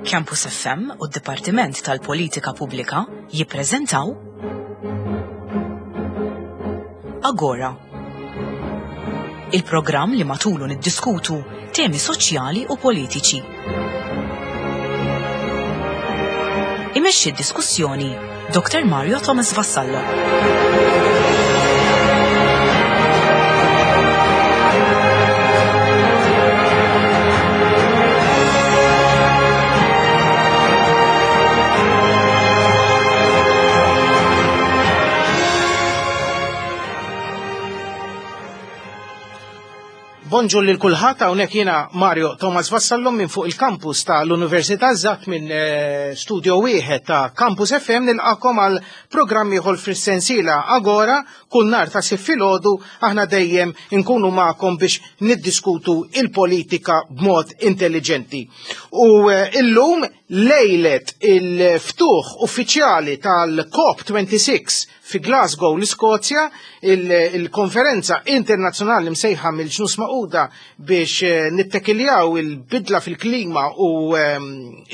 Campus FM u d-Dipartiment tal-Politika Pubblika jippreżentaw Agora. Il-programm li matulu niddiskutu temi soċjali u politiċi. Imexxi d-diskussjoni Dr. Mario Thomas Vassallo. Bonġu lil kulħadd hawnhekk jiena Mario Thomas Vassallo minn fuq il-kampus tal-Università Żatt minn eh, studio wieħed ta' Campus FM nilqakom għal programm ieħor fis-sensiela Agora kull nhar ta' sif filgħodu aħna dejjem inkunu magħkom biex niddiskutu il-politika b'mod intelligenti. U eh, illum lejlet il-ftuħ uffiċjali tal-COP26 fi Glasgow l-Iskozja, il-konferenza internazzjonali msejħa mill-ġnus Magħquda biex eh, nittekiljaw il-bidla fil-klima u ehm,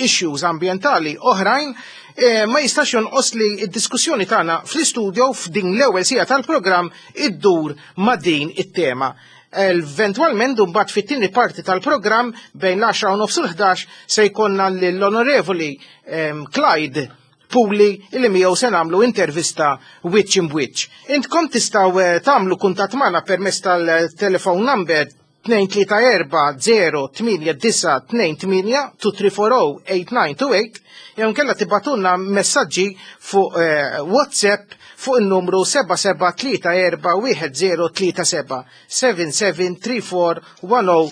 issues ambientali oħrajn, eh, ma jistax jonqos li d-diskussjoni tagħna fl-istudio f'din l-ewwel sija tal-programm iddur ma' din it-tema. Eventwalment mbagħad fit-tieni parti tal-programm bejn l-10 u nofs u l-11 se jkollna l-Onorevoli ehm, Clyde Puli li miegħu se nagħmlu intervista wiċċ imbwiċċ. Intkom tistgħu eh, tagħmlu kuntatt magħna permezz tal-telephone number 234-08928 2340-8928 jew nkella tibatunna messaġġi fuq eh, WhatsApp fuq il-numru 77341037 773410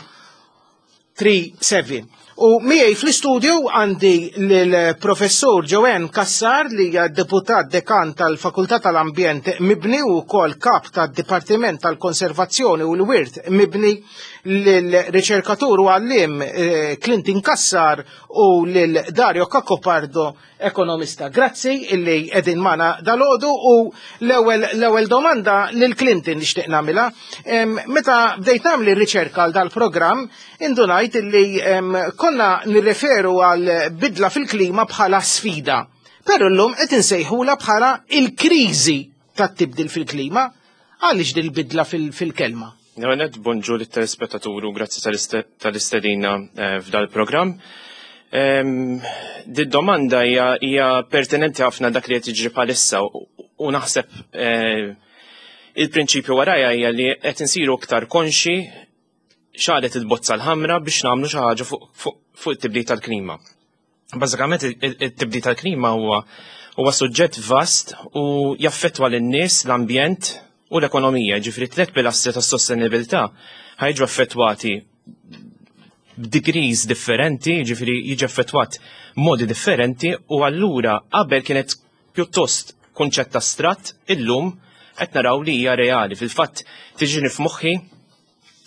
37. U miegħi fl-istudju għandi l-professur Joanne Kassar li hija deputat dekan tal-Fakultà tal-Ambjent mibni u wkoll kap tad-Dipartiment tal-Konservazzjoni u l-Wirt mibni l-riċerkatur u għallim eh, Clinton Kassar u lil Dario Cacopardo ekonomista. Grazzi illi edin mana dalodu u l-ewwel domanda lil Clinton nixtieq nagħmilha. Meta bdejt nagħmel ir-riċerka għal dal-programm, indunajt illi konna nirreferu għal bidla fil-klima bħala sfida. Però llum qed insejħula bħala il-kriżi tat-tibdil fil-klima. Għaliex dil-bidla fil-kelma? Għanet, bonġu li telespettaturu, grazzi tal-istedina eh, f'dal-program. Ehm, Di domanda hija pertinenti ħafna dak li qed jiġri bħalissa u naħseb eh, il-prinċipju warajja hija li qed insiru iktar konxi xalet il-bozza l-ħamra biex nagħmlu xi ħaġa fuq it-tibdil tal-klima. Bażikament it-tibdil tal-klima huwa huwa suġġett vast u jaffettwa lin-nies, l-ambjent u l-ekonomija, ġifri tliet pilastri tas-sostenibilità ħajġu affettwati b'degrees differenti, ġifri jiġi affettwat modi differenti u allura qabel kienet pjuttost kunċett astratt, illum qed naraw li hija reali. Fil-fatt tiġini f'moħħi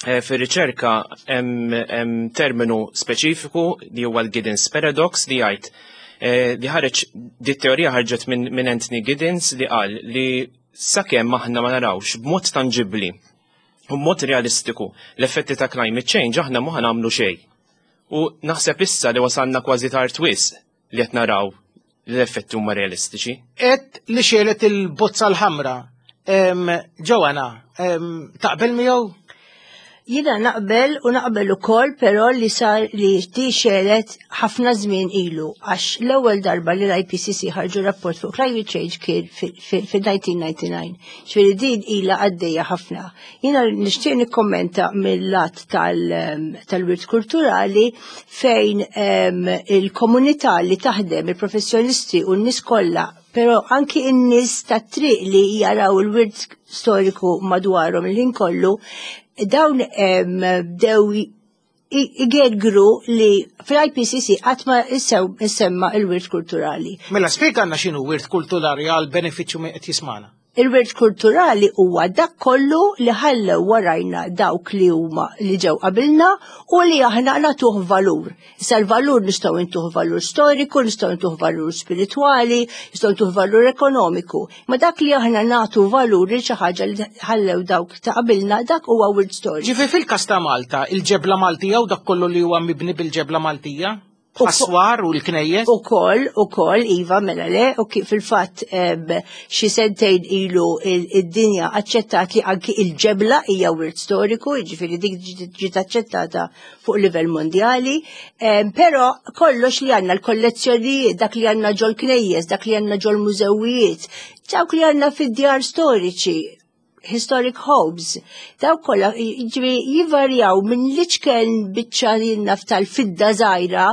Eh, fir-riċerka hemm terminu speċifiku li huwa l-Giddens Paradox li jgħid eh, li ħareġ di teorija ħarġet minn Anthony Giddens li qal li sakemm aħna ma narawx b'mod tanġibbli u b'mod realistiku l-effetti ta' climate change aħna ma nagħmlu xejn. U naħseb issa li wasalna kważi tard wisq li qed naraw li l-effetti huma realistiċi. Et li xelet il-bozza l-ħamra. Ġowana, taqbel miegħu? Jina naqbel u naqbel ukoll però li sar li di xelet ħafna żmien ilu għax l-ewwel darba li l-IPCC ħarġu rapport fuq climate change kien fil-1999. Ġifieri din ilha għaddejja ħafna. Jiena nixtieq nikkommenta mill-lat tal-wirt kulturali fejn il-komunità li taħdem, il-professjonisti u n-nies kollha, però anki n-nies tat-triq li jaraw il-wirt storiku madwarhom il-ħin kollu, dawn bdew igergru li fl-IPCC qatt ma semma il-wirt kulturali. Mela spjegana x'inhu wirt kulturali għal benefiċċju min qed jismana. Il-wirt kulturali huwa dak kollu li ħallew warajna dawk li huma li ġew qabilna u li aħna nagħtuh valur. Issa l-valur nistgħu ntuh valur storiku, nistgħu ntuh valur spiritwali, nistgħu ntuh valur ekonomiku. Ma dak li aħna nagħtu valur lil xi ħaġa li ħallew dawk ta' qabilna, dak huwa wirt storiku. Ġifieri fil-każ ta' Malta, il-ġebla Maltija u dak kollu li huwa mibni bil-ġebla Maltija? Bħas-swar u l-knejjes? Ukoll, ukoll, iva, mela le, u kif fil-fatt xi sentejn ilu id-dinja aċċettat li anki il-ġebla hija wirt storiku, jiġifieri dik ġiet aċċettata fuq livell mondjali, però kollox li għandna l-kollezzjonijiet, dak li għandna ġol knejjes, dak li għandna ġol mużewijiet, dawk li għandna fid-djar storiċi, historic homes, daw kollha jiġifieri jivarjaw minn l-iċken biċċa li naf tal-fidda żgħira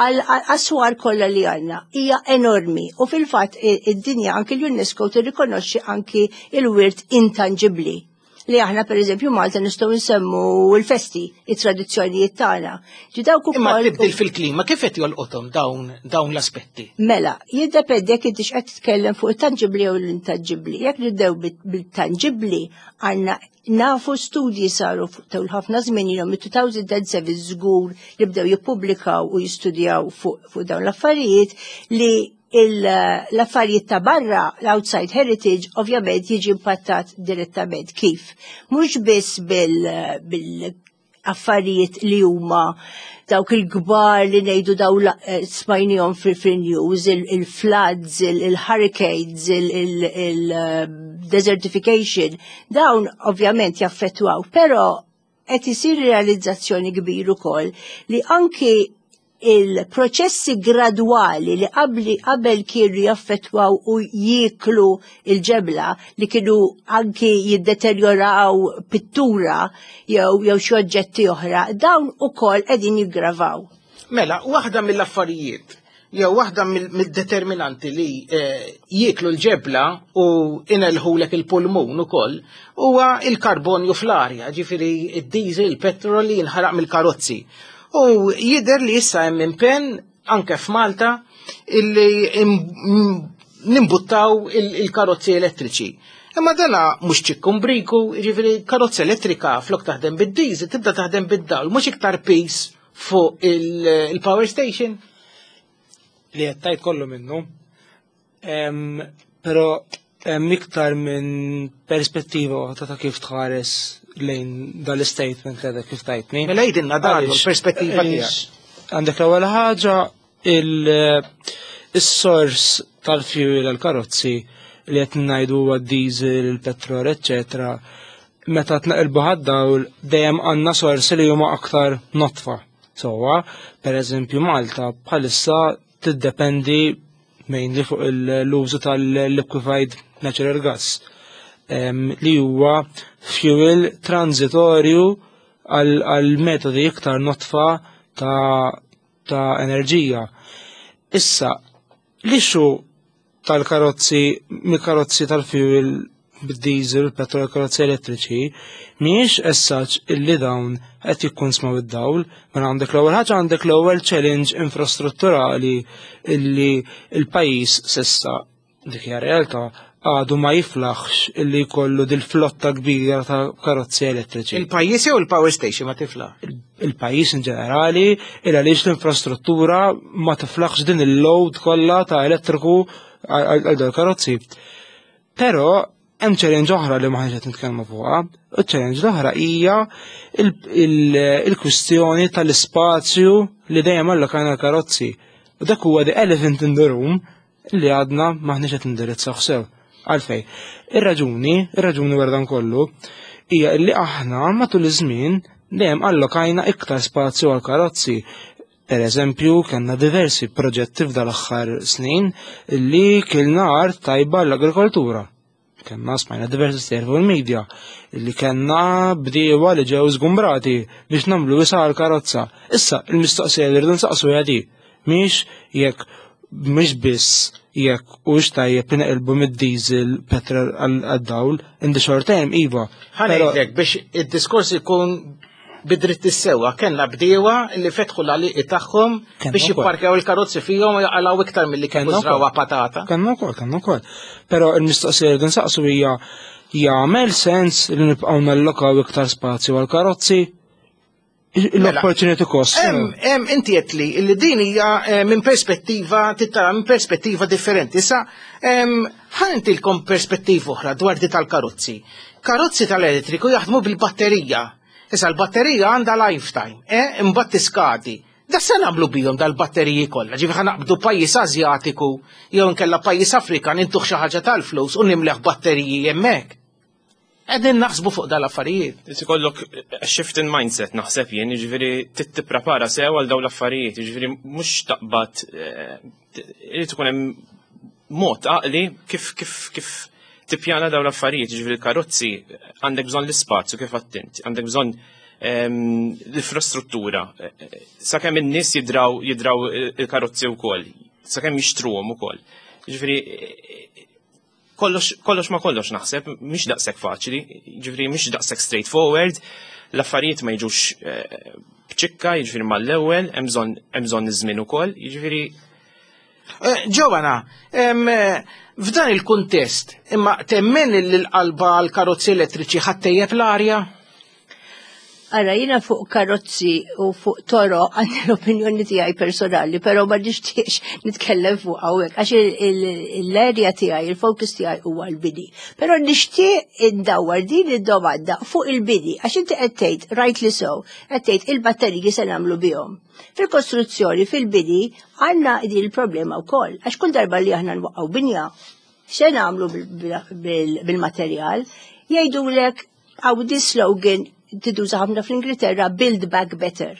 għal aswar kollha li għandna. Hija enormi u fil-fatt id-dinja anki l-UNESCO tirrikonoxxi anki il-wirt intangibbli li aħna per eżempju Malta nistgħu nsemmu l-festi, it-tradizzjonijiet tagħna. Ġi dawk ukoll. Imma tibdil fil-klima kif qed jolqothom dawn dawn l-aspetti? Mela, jiddependi jekk intix qed titkellem fuq it-tanġibbli jew l-intanġibbli. Jekk nibdew bil-tanġibbli għandna nafu studji saru tul ħafna żmien ilhom mit-2007 żgur li bdew jippubblikaw u jistudjaw fuq dawn l-affarijiet li l-affarijiet ta' barra, l-outside heritage, ovvjament jiġi impattat direttament. Kif? Mhux biss bil affarijiet li huma dawk il-kbar li ngħidu daw eh, smajnihom fil-news, il-floods, il-hurricanes, il-desertification, dawn ovvjament jaffettwaw, però qed isir realizzazzjoni kbir ukoll li anki il-proċessi gradwali li qabli qabel kienu jaffettwaw u jieklu il-ġebla li kienu anki jiddeterjoraw pittura jew jew xi oġġetti oħra, dawn ukoll qegħdin jiggravaw. Mela, waħda mill-affarijiet jew waħda mill-determinanti li eh, jieklu l-ġebla u inelħulek il-pulmun ukoll huwa il-karbonju fl-arja, ġifieri id-diesel, il-petrol li jinħaraq mill-karozzi. U jidher li issa hemm impenn anke f'Malta illi nimbuttaw il-karozzi elettriċi. Imma dana mhux ċikkum briku, jiġifieri karozza elettrika flok taħdem bid-diesel tibda taħdem bid-dawl, mhux iktar pis fuq il-power station. Li qed tgħid kollu minnu. Però hemm iktar minn perspettiva waħda ta' kif tħares lejn dal-statement li għadek kif tajtni. Mela jidinna dan il-perspettiva tiegħek. Għandek l-ewwel ħaġa il-sors tal-fuel għal-karozzi li qed ngħidu huwa diesel, il-petrol, eċċetera. Meta tnaqilbu ħad-dawl dejjem għandna sorsi li huma aktar notfa. Sowa, per eżempju Malta bħalissa tiddependi mainly fuq l-użu tal-liquefied natural gas li huwa fuel transitorju għal metodi iktar notfa ta', ta enerġija. Issa, l-issue tal-karozzi, mill-karozzi tal-fuel bid-diesel, petrol, karozzi elettriċi, mhijiex essaċ illi dawn qed jikkunsmaw id-dawl, mela għandek l-ewwel ħaġa għandek l-ewwel challenge infrastrutturali illi l-pajjiż s'issa dik hija realtà għadu ma jiflaħx illi jkollu dil-flotta kbira ta' karozzi elettriċi. Il-pajjiż jew il-power station ma tiflaħ? Il-pajjiż in ġenerali, il għaliex l-infrastruttura ma tiflaħx din il-load kollha ta' elettriku għal dawn karozzi. Però hemm challenge oħra li maħniex qed nitkellmu fuqha, u challenge l-oħra hija il-kwistjoni tal-ispazju li dejjem allokajna l-karozzi. U dak huwa the elephant in the room li għadna maħniex qed nindirizzaw sew. Għalfej, ir-raġuni, ir-raġuni wara dan kollu, hija li aħna matul iż-żmien dejjem allokajna iktar spazju għal karozzi. Per eżempju, kellna diversi proġetti f'dal-aħħar snin li kilna art tajba l-agrikoltura. Kenna smajna diversi stejjer fuq il-medja li kellna bdiewa li ġew żgumbrati biex nagħmlu wisa għal karozza. Issa, il-mistoqsija li rridu nsaqsu hija di. Mhix jekk mhix biss jekk hux tajjeb li neqilbu mid-diesel petrol għad-dawl in the short term iva. Ħa ngħidlek biex id-diskors ikun bidritt is-sewwa kellna bdiewa li fetħu l-għalieqi tagħhom biex jipparkjaw il-karozzi fihom u jaqalgħu iktar milli kienu żrawha patata. Kellna wkoll, kellna wkoll. Però l-mistoqsija li nsaqsu hija jagħmel sens li nibqgħu nallokaw iktar spazju għall-karozzi? Mela, L-opportunity cost. Hemm inti qed li li din hija eh, minn perspettiva tittara minn perspettiva differenti. Issa ħa intilkom perspettiva oħra dwar di tal-karozzi. Karozzi tal-elettriku jaħdmu bil-batterija. Issa l-batterija għandha lifetime, eh, imbagħad tiskadi. Da se nagħmlu bihom dal-batteriji kollha, ġifi ħa naqbdu pajjiż Asjatiku jew inkella pajjiż Afrikan intuh xi ħaġa tal-flus u nimleh batteriji hemmhekk. Qegħdin naħsbu fuq dal-affarijiet. Irid ikollok shift in mindset naħseb jien, jiġifieri tipprepara sew għal dawn l-affarijiet, jiġifieri mhux taqbad eh, irid ikun hemm mod għaqli kif kif kif tippjana dawn l-affarijiet, jiġifieri l-karozzi għandek bżonn l-ispazju kif għattint, għandek bżonn ehm, l-infrastruttura. Sakemm in-nies jidraw jidraw il-karozzi wkoll, sakemm jixtruhom ukoll. Jiġifieri kollox kollox ma kollox naħseb mhix daqshekk faċli, jiġifieri mhix daqshekk straightforward, l-affarijiet ma jiġux eh, b'ċikka, jiġifieri mal-ewwel, hemm bżonn iż-żmien ukoll, jiġifieri Eh, Ġovana, eh, f'dan il-kuntest, imma temmen li l-qalba għal karozzi elettriċi ħattejjeb l-arja? Ara, jina fuq karozzi u fuq toro għandi l-opinjoni tiegħi personali, però ma nixtieqx nitkellem fuq hawnhekk għax l-area tiegħi, il-focus tiegħi huwa l-bini. Però nixtieq indawwar din id-domanda fuq il-bini għax inti qed tgħid rightly so, qed tgħid il-batteriji se nagħmlu bihom. Fil-kostruzzjoni, fil-bini, għandna din il-problema wkoll, għax kull darba li aħna nwaqqgħu binja, se nagħmlu bil-materjal, jgħidulek għaw di slogan tiduża ħafna fl-Ingilterra Build Back Better.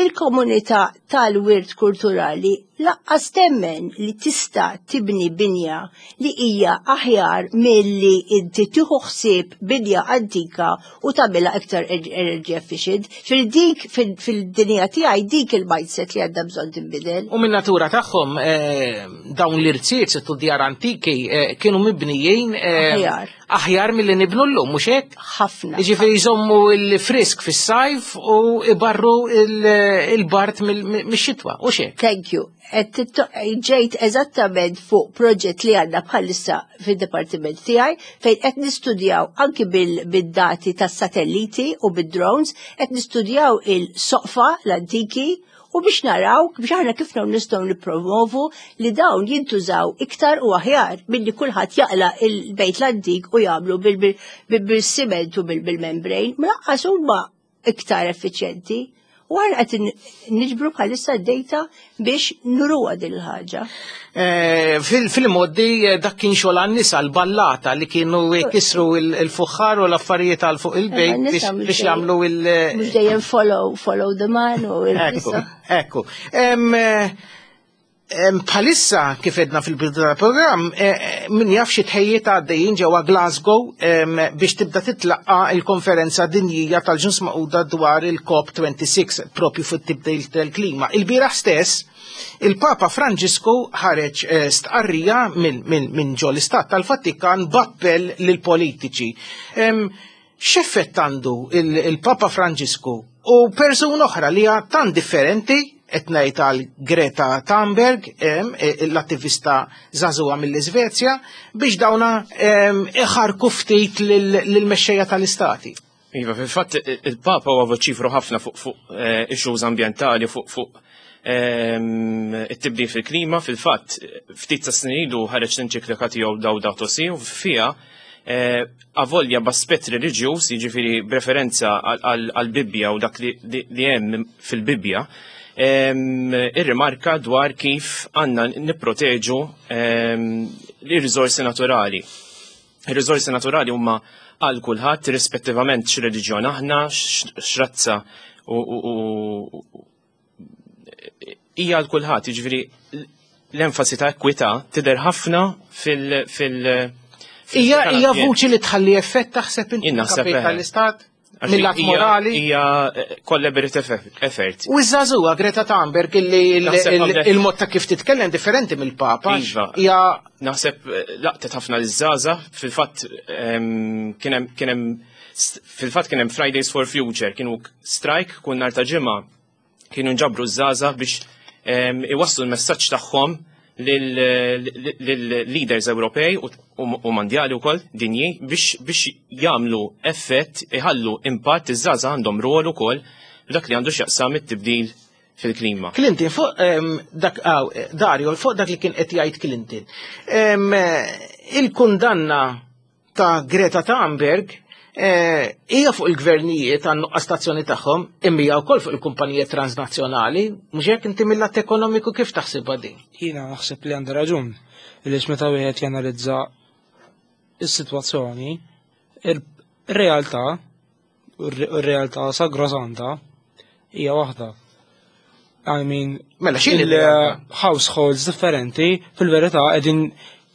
Il-komunità tal-wirt kulturali laqqas temmen li tista' tibni binja li hija aħjar milli inti tieħu ħsieb binja antika u tagħmilha iktar energy efficient. Ġifieri dik fil-dinja tiegħi dik il-mindset li għandha bżonn tinbidel. U minn natura tagħhom eh, dawn l-irziet u djar antiki eh, kienu mibnijin eh, aħjar. Aħjar milli nibnu llum, mhux hekk? Ħafna. Jiġifieri jżommu l-frisk fis-sajf u ibarru il-bart mix-xitwa, u xek. Thank you. Ġejt eżattament fuq proġett li għandna bħalissa fid-dipartiment tiegħi fejn qed nistudjaw anki bil-dati tas-satelliti u bid-drones, qed nistudjaw il-soqfa l-antiki u biex naraw biex aħna kif nistgħu nippromovu li dawn jintużaw iktar u aħjar milli kulħadd jaqla il-bejt l-antik u jagħmlu bil-siment u bil-membrane, mlaqqas huma iktar effiċjenti. U għan qed niġbru bħalissa d-data biex nuruha din il-ħaġa. Eh, fil-moddi eh, dak kien xogħol għan-nisa l-ballata li kienu jkissru il-fuħħar u l-affarijiet għal fuq il-bejt biex jagħmlu il- Mhux dejjem follow, follow the man u il Ekku, ekku. Bħalissa kif edna fil-bidu tal-programm, eh, min jaf xi tħejjiet għaddejjin ġewwa Glasgow biex tibda titlaqqa il-konferenza dinjija tal-ġuns maquda dwar il-COP26 propju fit-tibdil tal-klima. Il-bieraħ stess, Il-Papa Franġisku ħareġ eh, stqarrija minn ġol istat tal-Vatikan b'appell lill-politiċi. X'effett għandu il-Papa Franġisku u persuna oħra li hija tant differenti qed ngħid għal Greta Thunberg, e, l-attivista żagħżugħa mill-Iżvezja, biex dawna iħarku ftit lill-mexxejja tal-istati. Iva, fil-fatt il-Papa huwa voċifru ħafna fuq fuq eh, issues ambjentali fuq fuq ehm, it-tibdil fil-klima, fil-fatt ftit ta' snin ilu ħareġ l-enċiklika tiegħu Laudato Si u fiha eh, avolja b'aspett reliġjuż, jiġifieri b'referenza għall-Bibbja u dak li hemm fil-Bibbja, ehm, irrimarka dwar kif għandna nipproteġu ehm, l-riżorsi naturali. Ir-riżorsi naturali huma għal kulħadd rispettivament x'reliġjon aħna, x'razza u hija għal kulħadd, jiġifieri l-enfasi ta' ekwità tidher ħafna fil- fil- Hija vuċi li tħalli effett taħseb inti tal-istat? Mill-lat morali. Hija eh, collaborative effort. U iż-żagħżugħa Greta Thunberg illi il-mod ta' kif titkellem differenti mill-Papa. Iva. Hija naħseb eh, laqtet ħafna l-żgħażagħ fil-fatt ehm, kien hemm fil-fatt kien hemm Fridays for Future kienu strike kull nhar ta' ġimgħa kienu nġabru ż-żgħażagħ biex ehm, iwasslu l-messaġġ tagħhom lill-leaders Ewropej u mondjali wkoll dinji biex jagħmlu effett iħallu impatt iż-żgħażagħ għandhom rol ukoll dak li għandu x'jaqsam it-tibdil fil-klima. Clinton, fuq ehm, dak Dario, fuq dak li kien qed jgħid Clinton. Ehm, il-kundanna ta' Greta Thunberg Hija fuq il-gvernijiet għan nuqqas tazzjoni tagħhom, imma hija wkoll fuq il-kumpaniji transnazzjonali, mhux hekk? Inti mill-lat ekonomiku kif taħsibha din? Jiena naħseb li għandha raġun, għaliex meta wieħed janalizza is-sitwazzjoni, ir-realtà, ir-realtà sagrosanta hija waħda. I mean, Mela, x'inhi il-households differenti fil-verità qegħdin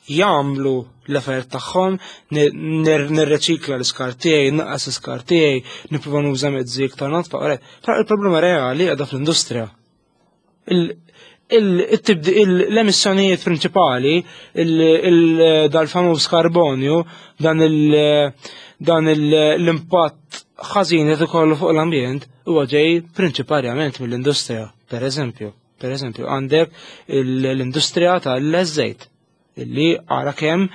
jagħmlu l-effort tagħhom, nirreċikla l-iskart tiegħi, naqqas l-iskart tiegħi, nipprova nuża mezzi iktar nodfa. Però il-problema reali qiegħda fl-industrija. L-emissjonijiet prinċipali, dal-famuż karbonju, dan l-impatt ħażin li ikollu fuq l-ambjent huwa ġej prinċipalment mill-industrija. Per eżempju, għandek l-industrija tal-żejt illi ara kemm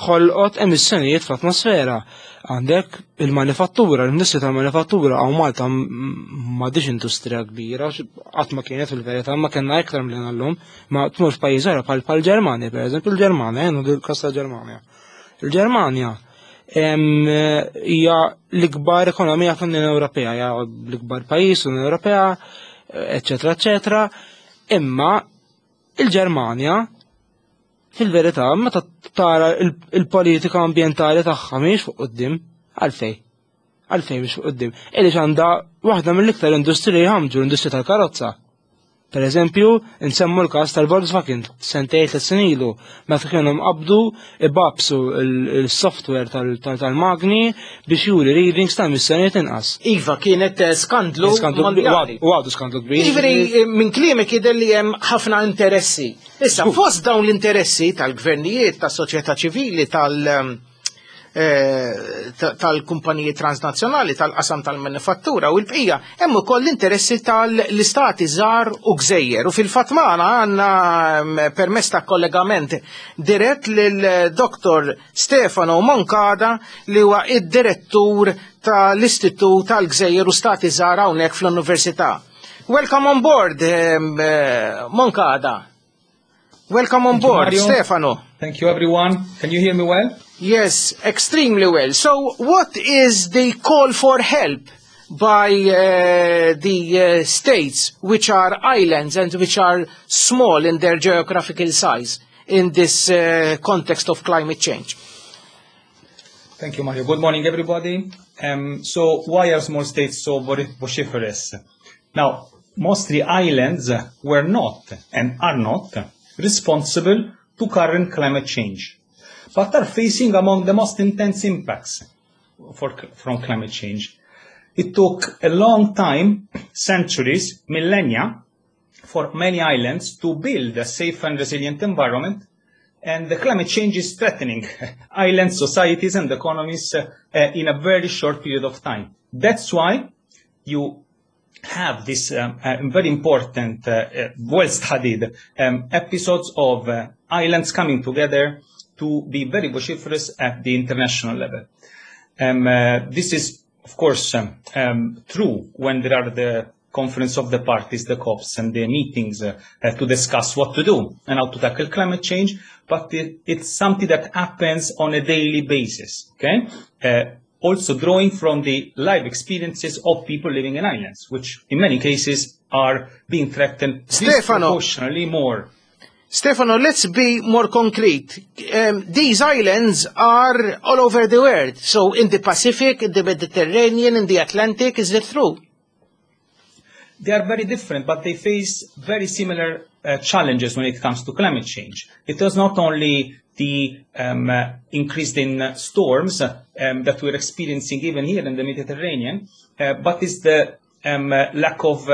ħolqot emissjonijiet fl-atmosfera. Għandek il-manifattura, l-industrija tal-manifattura, hawn Malta m'għadhiex industrija kbira, qatt ma kienet fil-verità, ma kellna iktar minn llum, ma tmur f'pajjiż oħra bħal Ġermanja, per eżempju, il-Ġermanja, jenu il-kas tal-Ġermanja. Il-Ġermanja hija l-ikbar ekonomija fl-Unjoni Ewropea, hija l-ikbar pajjiż l-Unjoni Ewropea, eccetera, eccetera. Imma il-Ġermanja fil-verità meta tara il-politika ambjentali tagħha mhijiex fuq quddiem, għalfejn? Għalfejn mhix fuq quddiem? Għaliex għandha waħda mill-iktar industriji ħamġu, l-industrija tal-karozza. Per eżempju, nsemmu l-każ tal-Volkswagen sentejn, 3 snin ilu, meta kienu qabdu ibabsu il-software tal-magni biex juri readings ta' emissjonijiet inqas. Iva, kienet skandlu Skandlu mondjali. U għadu skandlu kbir. Ġifieri, minn kliemek jidher li hemm ħafna interessi. Issa, fost dawn l-interessi tal-gvernijiet, tas-soċjetà ċivili, tal-kumpaniji transnazzjonali, tal-qasam tal-manifattura u l-bqija, hemm ukoll l-interessi tal-istati żgħar u gżejjer. U fil-fatt magħna għandna permess ta' kollegament dirett lil Dr. Stefano Moncada, li huwa id-direttur tal-Istitut tal-Gżejjer u Stati Żgħar hawnhekk fl-Università. Welcome on board, Moncada. Welcome on Thank you, board, Mario. Stefano. Thank you, everyone. Can you hear me well? Yes, extremely well. So, what is the call for help by the states which are islands and which are small in their geographical size in this context of climate change? Thank you, Mario. Good morning, everybody. So, why are small states so vociferous? Now, mostly islands were not and are not responsible to current climate change, but are facing among the most intense impacts from climate change. It took a long time, centuries, millennia, for many islands to build a safe and resilient environment, and the climate change is threatening island societies and economies in a very short period of time. That's why you have this very important, well-studied episodes of islands coming together to be very vociferous at the international level. This is, of course, true when there are the Conference of the Parties, the COPs, and the meetings to discuss what to do and how to tackle climate change, but it's something that happens on a daily basis, okay? Also drawing from the live experiences of people living in islands, which in many cases are being threatened Stefano. disproportionately more. Stefano, let's be more concrete. These islands are all over the world. So in the Pacific, in the Mediterranean, in the Atlantic, is it true? They are very different, but they face very similar challenges when it comes to climate change. It is not only the increase in storms that we're experiencing even here in the Mediterranean, but it's the lack of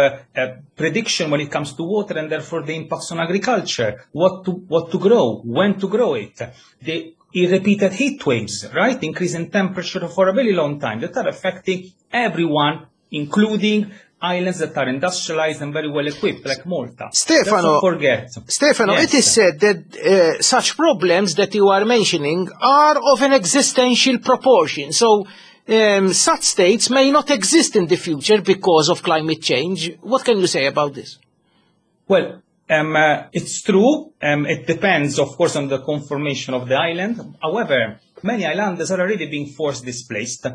prediction when it comes to water and therefore the impacts on agriculture, what to grow, when to grow it, the repeated heat waves, right? Increase in temperature for a very long time that are affecting everyone, including islands that are industrialized and very well equipped, like Malta. Stefano, Let's not forget. Stefano, Yes. It is said that such problems that you are mentioning are of an existential proportion. So such states may not exist in the future because of climate change. What can you say about this? It's true, it depends, of course, on the conformation of the island. However, many islanders are already being forced displaced,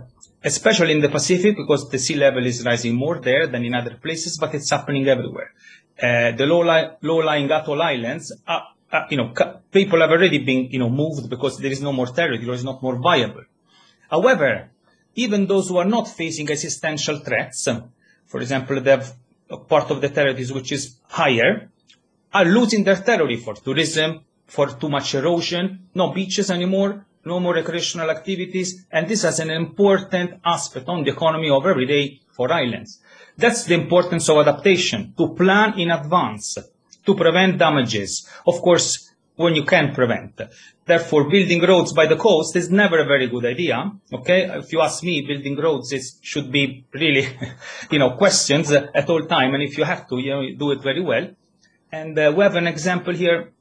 especially in the Pacific, because the sea level is rising more there than in other places, but it's happening everywhere. The low-lying atoll islands, are, people have already been, moved because there is no more territory, it's not more viable. However, even those who are not facing existential threats, for example, they have a part of the territories which is higher, are losing their territory for tourism, for too much erosion, no beaches anymore, no more recreational activities, and this has an important aspect on the economy of every day for islands. That's the importance of adaptation, to plan in advance, to prevent damages. Of course, when you can prevent. Therefore, building roads by the coast is never a very good idea, okay? If you ask me, building roads should be really, questions at all time, and if you have to, do it very well. And we have an example here,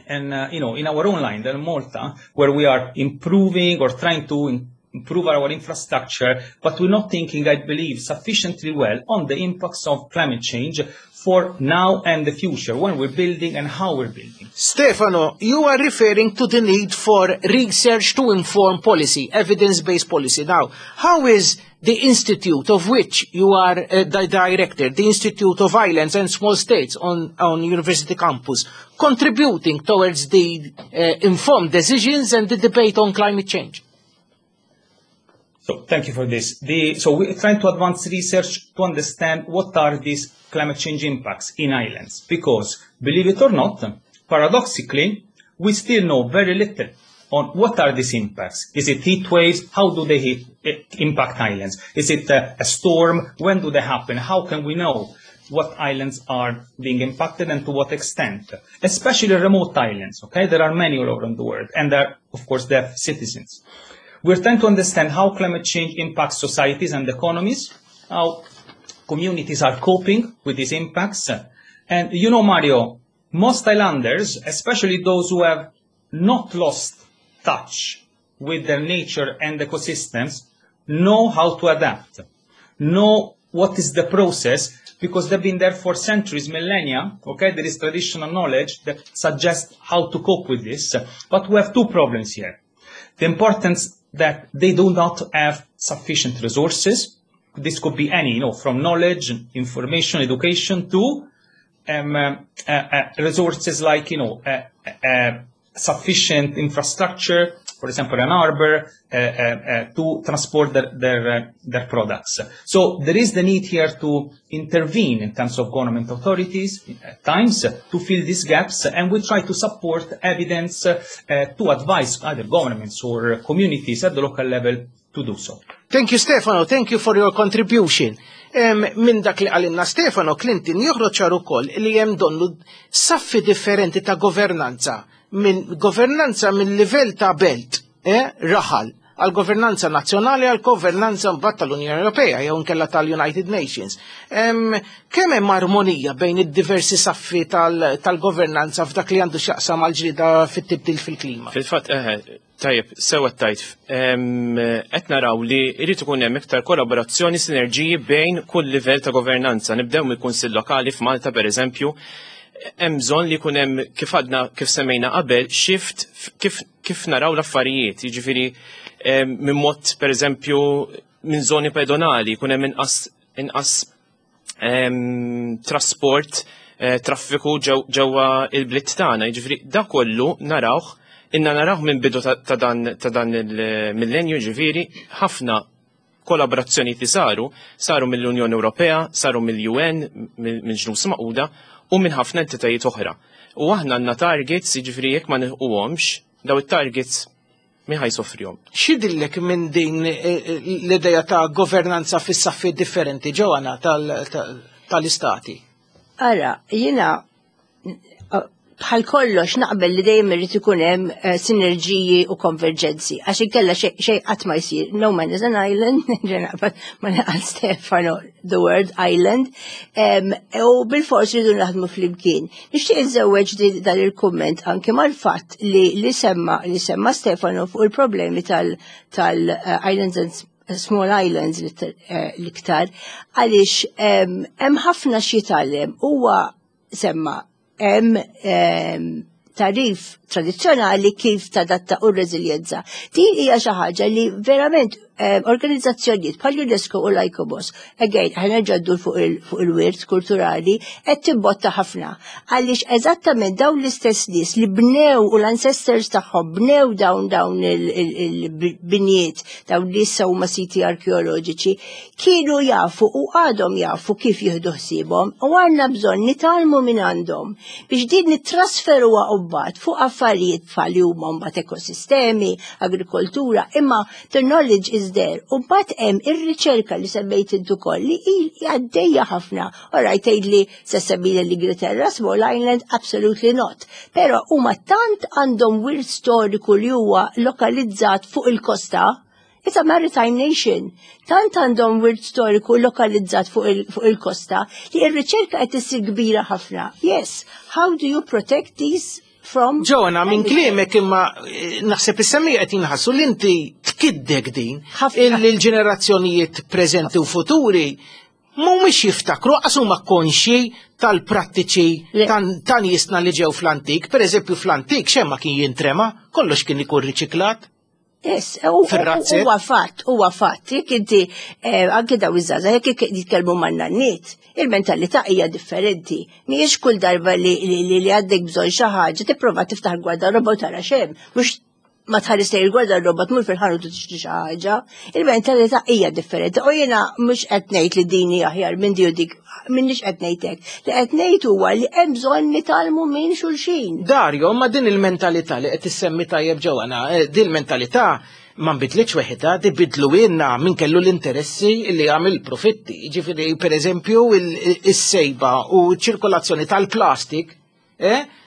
and in our own line, in Malta, where we are improving or trying to improve our infrastructure, but we're not thinking, I believe, sufficiently well on the impacts of climate change for now and the future, when we're building and how we're building. Stefano, you are referring to the need for research to inform policy, evidence-based policy. Now, how is the institute of which you are the director, the Institute of Islands and Small States on University Campus, contributing towards the informed decisions and the debate on climate change? So thank you for this. We're trying to advance research to understand what are these climate change impacts in islands, because believe it or not, paradoxically, we still know very little on what are these impacts. Is it heat waves? How do they impact islands? Is it a storm? When do they happen? How can we know what islands are being impacted and to what extent? Especially remote islands, okay? There are many all over the world, and there, of course, they have citizens. We're trying to understand how climate change impacts societies and economies, how communities are coping with these impacts. And Mario, most islanders, especially those who have not lost touch with their nature and ecosystems, know how to adapt, know what is the process, because they've been there for centuries, millennia, okay? There is traditional knowledge that suggests how to cope with this. But we have two problems here. The importance that they do not have sufficient resources. This could be any, from knowledge, information, education to resources like sufficient infrastructure, for example, an harbor, to transport their products. So there is the need here to intervene in terms of government authorities at times to fill these gaps, and we try to support evidence to advise either governments or communities at the local level to do so. Thank you, Stefano. Thank you for your contribution. Minn dak li qalilna Stefano, Clinton joħroġ ċar ukoll li hemm donnu saffi differenti ta' governanza. Minn governanza minn livell ta' belt, raħal, għal governanza nazzjonali, għal governanza mbagħad tal-Unjoni Ewropea jew inkella tal-United Nations. Kemm hemm armonija bejn id-diversi saffi tal-governanza f'dak li għandu x'jaqsam għal ġlieda fit-tibdil fil-klima? Fil-fatt, tajjeb, sewa tajt. Qed naraw li jrid ikun hemm iktar kollaborazzjoni, sinerġiji bejn kull livell ta' governanza. Nibdew mill-Kunsill Lokali f'Malta, per eżempju, hemm bżonn li jkun hemm, kif għadna, kif semmejna qabel, shift kif naraw l-affarijiet, jiġifieri, minn mod, per eżempju, minn żoni pedonali, jkun hemm inqas trasport, traffiku ġewwa il-bliet tagħna, jiġifieri da kollu narawh, inna narawh minn bidu ta' dan il-millenju, jiġifieri ħafna kollaborazzjoni li saru mill-Unjoni Ewropea, saru mill-UN, minn ġnus Magħquda u minn ħafna entitajiet oħra. U aħna għandna targets, jiġifieri jekk ma nilħquhomx, daw it-targets min ħaj soffrihom. X'idillek minn din l-idea ta' governanza fis-saffi differenti, Joanna, tal-istati? Ara, jiena bħal kollox naqbel li dejjem irid ikun hemm sinerġiji u konverġenzi, għax inkella xejn qatt ma jsir. No man is an island, naqbel ma naqal Stefano the word island, u bil-fors rridu naħdmu flimkien. Nixtieq inżewweġ dan il-kumment anke mal-fatt li semma Stefano fuq il-problemi tal islands and small islands l-iktar, għaliex hemm ħafna x'jitgħallem. Huwa semma Hemm tagħrif tradizzjonali kif tadatta u r-reżiljenza. Din hija xi ħaġa li verament organizzazzjonijiet bħal UNESCO u l-ICOMOS, again, ħa nerġa' ndur fuq il-wirt kulturali, qed timbotta ħafna. Għaliex eżattament dawn l-istess nies li bnew u l-ancestors tagħhom bnew dawn il-binjiet, dawn li issa huma siti arkeoloġiċi, kienu jafu u għadhom jafu kif jieħdu ħsiebhom u għandna bżonn nitgħallmu minn għandhom biex din nittrasferuha mbagħad fuq affarijiet bħal li huma mbagħad ekosistemi, agrikoltura, imma the knowledge is there. U mbagħad hemm ir-riċerka li semmejt int ukoll li għaddejja ħafna. Alright, tgħidli se semmili l-Ingilterra, small island, absolutely not. Però huma tant għandhom wirt storiku li huwa lokalizzat fuq il-kosta. It's a maritime nation. Tant għandhom wirt storiku lokalizzat fuq il-kosta li r-riċerka qed issir kbira ħafna. Yes, how do you protect these from? Joanna, minn kliemek imma naħseb is-semmiegħa qed jinħassu li inti tkiddek din Ħafna. il-ġenerazzjonijiet preżenti u futuri mhumiex jiftakru qas huma konxji tal-prattiċi Le. ta' niesna li ġew fl-antik. Per eżempju, fl-antik xejn ma kien jintrema, kollox kien ikun riċiklat. Yes, Fir-razzett. huwa fatt, huwa fatt. Jekk inti anke daw iż-żgħażagħ jekk jitkellmu man-nanniet, il-mentalità hija differenti. Mhijiex kull darba li għandek bżonn xi ħaġa tipprova tiftaħ gwardarobba u tara x'hemm, mhux ma tħares lejn il-gwardarobba tmur fil-ħanut u tixtri xi ħaġa. Il-mentalità hija differenti. U jiena mhux qed ngħid li din hija aħjar minn di u dik, m'iniex qed ngħid hekk. Li qed ngħid huwa li hemm bżonn nitgħallmu minn xulxin. Dario, ma din il-mentalità li qed issemmi tajjeb Joanna, din il-mentalità ma nbidlitx weħidha, di bidlu ilna min kellu l-interessi li jagħmel profitti. Ġifieri, per eżempju, is-sejba u ċ-ċirkolazzjoni tal-plastik,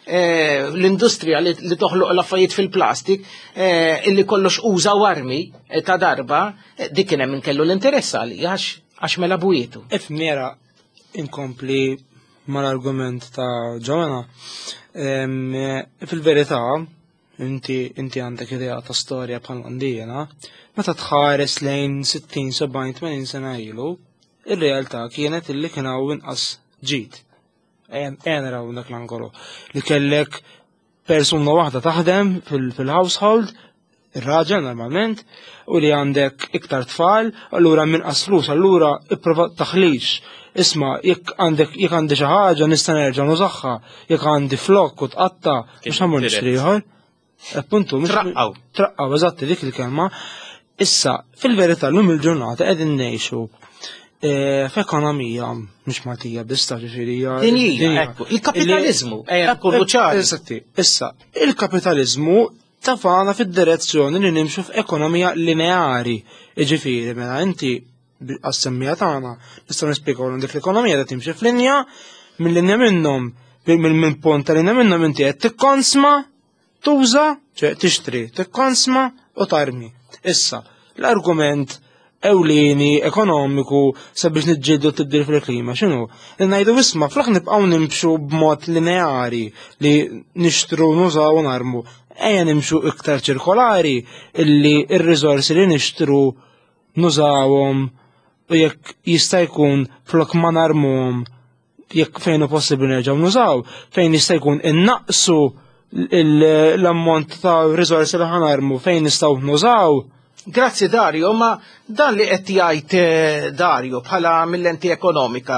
l-industrija li toħloq l-affarijiet fil-plastik, illi kollox uża u armi ta' darba, dik kien hemm min kellu l-interess għalija għax mela bujietu. If mera inkompli mal-argument ta' Joanna, fil-verità, inti għandek idea ta' storja bħal għandijena, meta tħares lejn 60, 70, 80 sena ilu, ir-realtà kienet illi kien hawn inqas ġid. Ejja naraw dak l-angolu. Li kellek persuna waħda taħdem fil-household, ir-raġel normalment, u li għandek iktar tfal, allura minqas flus, allura ipprova taħlix. Isma', jekk għandi xi ħaġa nista' nerġa' nużaha, jekk għandi flok u tqatta, Kif mhux ħammur dirett. nixtri ieħor. Appuntu, mhux Traqqaw. Traqqaw, eżatti dik il-kelma. Issa, fil-verità llum il-ġurnata qegħdin ngħixu f'ekonomija mhux Maltija biss ta' ġifieri hija Dinjija, dinja. ekku, il-kapitaliżmu, ejja nkunu ċari. Eżatti, issa, il-kapitaliżmu tafana fid-direzzjoni li nimxu f'ekonomija lineari. Jiġifieri, mela inti għas-semmija tagħna nistgħu nispjegaw dik l-ekonomija li timxi f'linja, minn linja minnhom, minn punt ta' linja minnhom inti qed tikkonsma, tuża, ċe tixtri, tikkonsma u tarmi. Issa, l-argument ewlieni ekonomiku sabiex niġġieldu tibdil fil-klima, x'inhu? Li ngħidu isma' flok nibqgħu nimxu b'mod lineari li nixtru, nużaw u narmu. Ejja nimxu iktar ċirkolari illi r-riżorsi li nixtru nużawhom u jekk jista' jkun flok ma narmuhom jekk fejn hu possibbli nerġgħu nużaw, fejn jista' jkun innaqsu l-ammont ta' riżorsi li ħanarmu fejn nistgħu nużaw. Grazzi Dario, ma dan li qed jgħid Dario bħala mill-lenti ekonomika,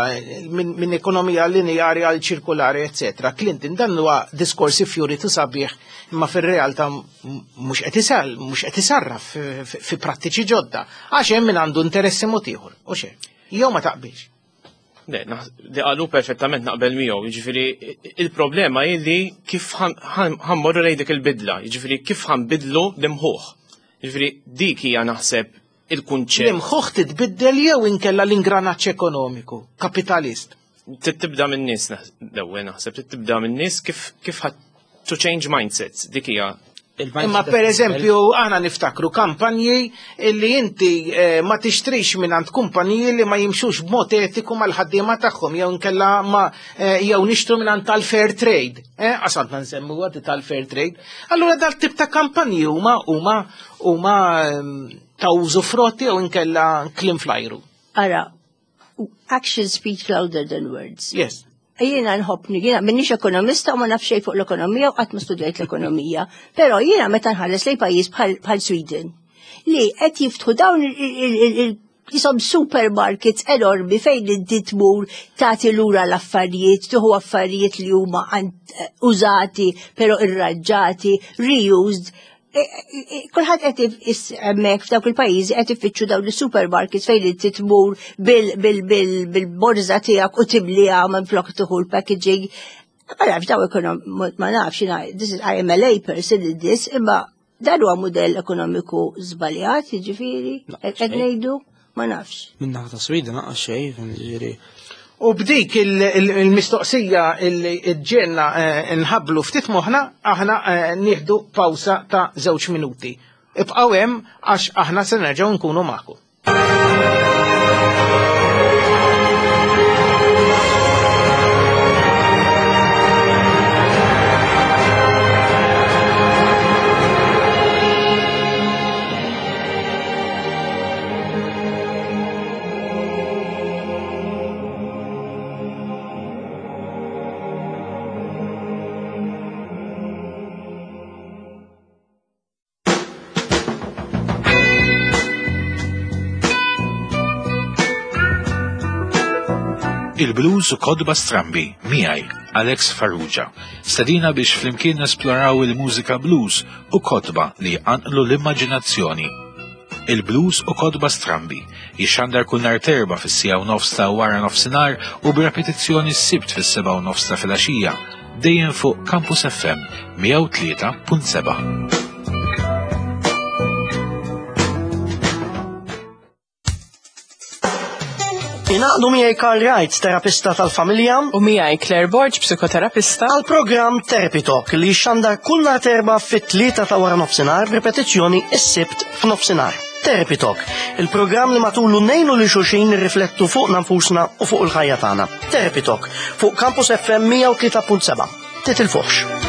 minn ekonomija lineari għal ċirkulari, eccetera. Clinton, dan huwa diskorsi fjuritu sabiħ, imma fir-realtà mhux qed isal, mhux qed isarraf fi prattiċi ġodda, għax hemm min għandu interessi mod ieħor, u xejn. Jew ma taqbilx. Le, li qalu perfettament naqbel miegħu, jiġifieri il-problema hi li kif ħammorru lejn dik il-bidla, jiġifieri kif ħanbidlu l-imħuħ. Jiġifieri dik hija naħseb il-kunċett. L-imħuħ titbiddel jew inkella l-ingranaġġ ekonomiku, kapitalist. Tibda minn nies l-ewwel naħseb, tibda minn nies kif ħadd to change mindsets, dik hija. Il-mindset Imma per eżempju, aħna niftakru kampanji illi inti ma tixtrix minn għand kumpaniji li ma jimxux b'mod etiku mal-ħaddiema tagħhom, jew inkella ma jew nixtru minn għand tal-fair trade. Għasantna nsemmu għad tal-fair trade. Allura dal-tip ta' kampanji huma ta' użu frotti jew inkella kliem flajru. Ara, actions speak louder than words. Yes. Jiena nħobbni, jiena minnix ekonomista u ma naf xejn fuq l-ekonomija u qatt ma studjajt l-ekonomija, però jiena meta nħares lejn pajjiż bħal Sweden li qed jiftħu dawn jisom supermarkets enormi fejn inti tmur tagħti lura l-affarijiet, tieħu affarijiet li huma użati però irraġġati, reused. Kulħadd qed hemmhekk f'dawk il-pajjiżi qed ifittxu dawn is-supermarkets fejn inti tmur bil-borża tiegħek u timliha minflok tieħu l-packaging. Ma nafx daw ekonom ma nafx jiena this is I am a lay person in this, imma dan huwa mudell ekonomiku żbaljat, jiġifieri, qed ngħidu, ma nafx. Minn naħa ta' Sweden naqqas xejn, jiġifieri. U b'dik il-mistoqsija li ġġielna nħabblu ftit moħħna, aħna nieħdu pawsa ta' żewġ minuti. Ibqgħu hemm għax aħna se nerġgħu nkunu magħkom. Il-Blues u Kodba Strambi, miegħi, Alex Farrugia. Stedina biex flimkien nesploraw il-mużika blues u kotba li jqanqlu l-immaġinazzjoni. Il-Blues u Kotba Strambi jixxandar kull nhar t'Erbgħa fis-siegħa u nofs ta' wara nofsinhar u b'repetizzjoni s-Sibt fis-sebgħa u nofs ta' filgħaxija, dejjem fuq Campus FM 103.7. Ingħaqdu miegħi Karl Wright, terapista tal-familja. U miegħi Claire Borg, psikoterapista. Għal programm Therapy Talk li jixxandar kull nhar t'Erbgħa fit-tlieta ta' wara nofsinhar b'ripetizzjoni s-Sibt f'nofsinhar. Therapy Talk, il-programm li matulu ngħinu lil xulxin nirriflettu fuqna nfusna u fuq il-ħajja tagħna. Therapy Talk fuq Campus FM 103.7. Titilfuhx.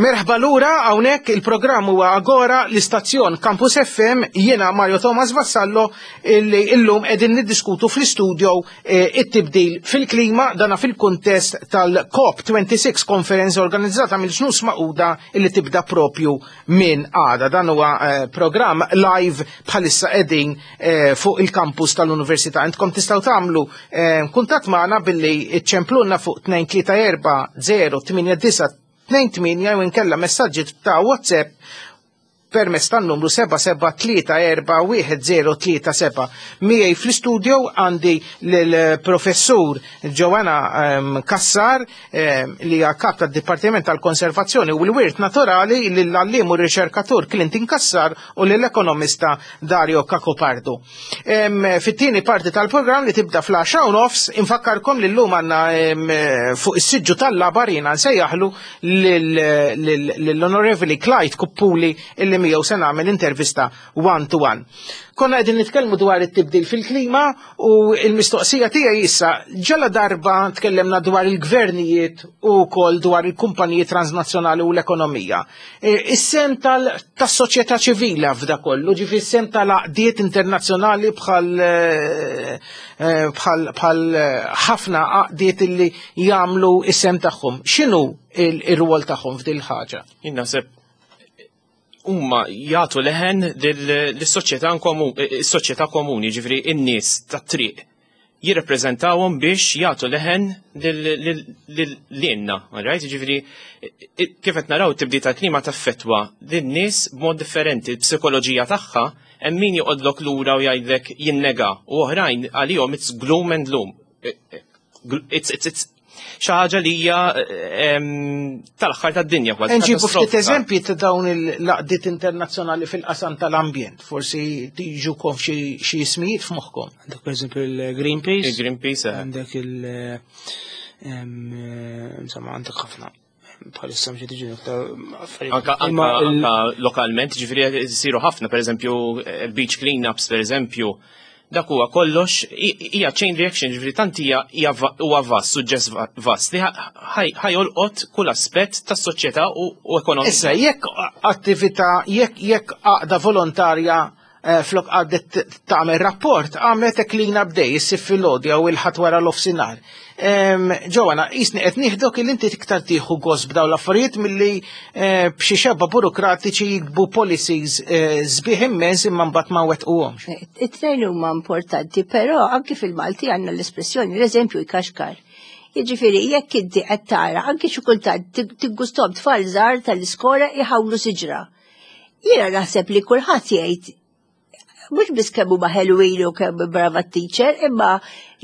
Merħba lura hawnhekk il-programm huwa Agora l-istazzjon Campus FM jiena Mario Thomas Vassallo illi illum qegħdin niddiskutu fl-istudio eh, it-tibdil fil-klima dana fil-kuntest tal-COP26 conference organizzata mill-ġnus Magħquda illi tibda propju minn għada. Dan huwa eh, programm live bħalissa qegħdin eh, fuq il-kampus tal-Università. Intkom tistgħu tagħmlu eh, kuntatt magħna billi iċċemplunna fuq 234 089 28 jew inkella messaġġi ta' WhatsApp permezz tan-numru 77341037. Miegħi fl-istudio għandi l-professur Joanna ehm, Kassar ehm, li hija kap tad-Dipartiment tal-Konservazzjoni u l-Wirt Naturali lill-għalliem u riċerkatur Clinton Kassar u lill-ekonomista Dario Cacopardo. Ehm, fit-tieni parti tal-programm li tibda fl-10 u nofs, infakkarkom li llum għandna fuq is-siġġu tal-labar jiena nsejjaħlu lill-Onorevoli Clyde Kuppuli illi miegħu se nagħmel intervista one to one. Konna qegħdin nitkellmu dwar it-tibdil fil-klima u l-mistoqsija tiegħi issa ġala darba tkellemna dwar il-gvernijiet u wkoll dwar il-kumpaniji transnazzjonali u l-ekonomija. E, is-sem tas-soċjetà ċivili f'da kollu, ġifi is-sem tal-għaqdiet internazzjonali bħal e, e, bħal ħafna għaqdiet illi jagħmlu is-sem tagħhom. X'inhu il-rwol tagħhom f'dil ħaġa? Jien naħseb huma jagħtu leħen lis-soċjetà soċjetà komuni, ġifri in-nies tat-triq jirrepreżentawhom biex jagħtu leħen lilna, right? Ġifri kif qed naraw tibdi tal-klima taffettwa lin-nies b'mod differenti, il-psikoloġija tagħha hemm min joqgħodlok lura u jgħidlek jinnega u oħrajn għalihom it's gloom and gloom. It's, it's, it's xi ħaġa li hija tal-aħħar tad-dinja kważi. Nġibu ftit eżempji ta' dawn il-laqdiet internazzjonali fil-qasam tal-ambjent, forsi tiġukom xi ismijiet f'moħħkom. Għandek pereżempju il-Greenpeace. Il-Greenpeace. Eh. Għandek il- insomma għandek ħafna. Bħalissa mxie tiġi aktar affarijiet. Anka, anka lokalment, ġifieri jsiru ħafna, pereżempju eh, beach cleanups, pereżempju, dak huwa kollox hija chain reaction, ġifieri tant hija huwa vast, suġġess vast li ħajolqot kull aspett tas-soċjetà u ekonomika. Issa jekk attività, jekk jekk għaqda volontarja eh, flok għaddet tagħmel rapport, għamlet clean up day, issib fil-ħodu jew il-ħadd wara l-ofsinhar. Ġowana, jisni qed nieħdok il inti iktar tieħu gost b'daw l-affarijiet milli eh, b'xi xebba burokratiċi jikbu policies eh, sbieħ immens imma mbagħad ma wettquhomx. It-tnejn huma importanti, però anki fil-Malti għandna l-espressjoni l-eżempju jkaxkar. Jiġifieri jekk inti qed tara anki xi kultant tiggustom tfal żgħar tal-iskola iħawlu siġra. Jiena naħseb li kulħadd jgħid mhux biss kemm huma ħelwin u kemm brava teacher, imma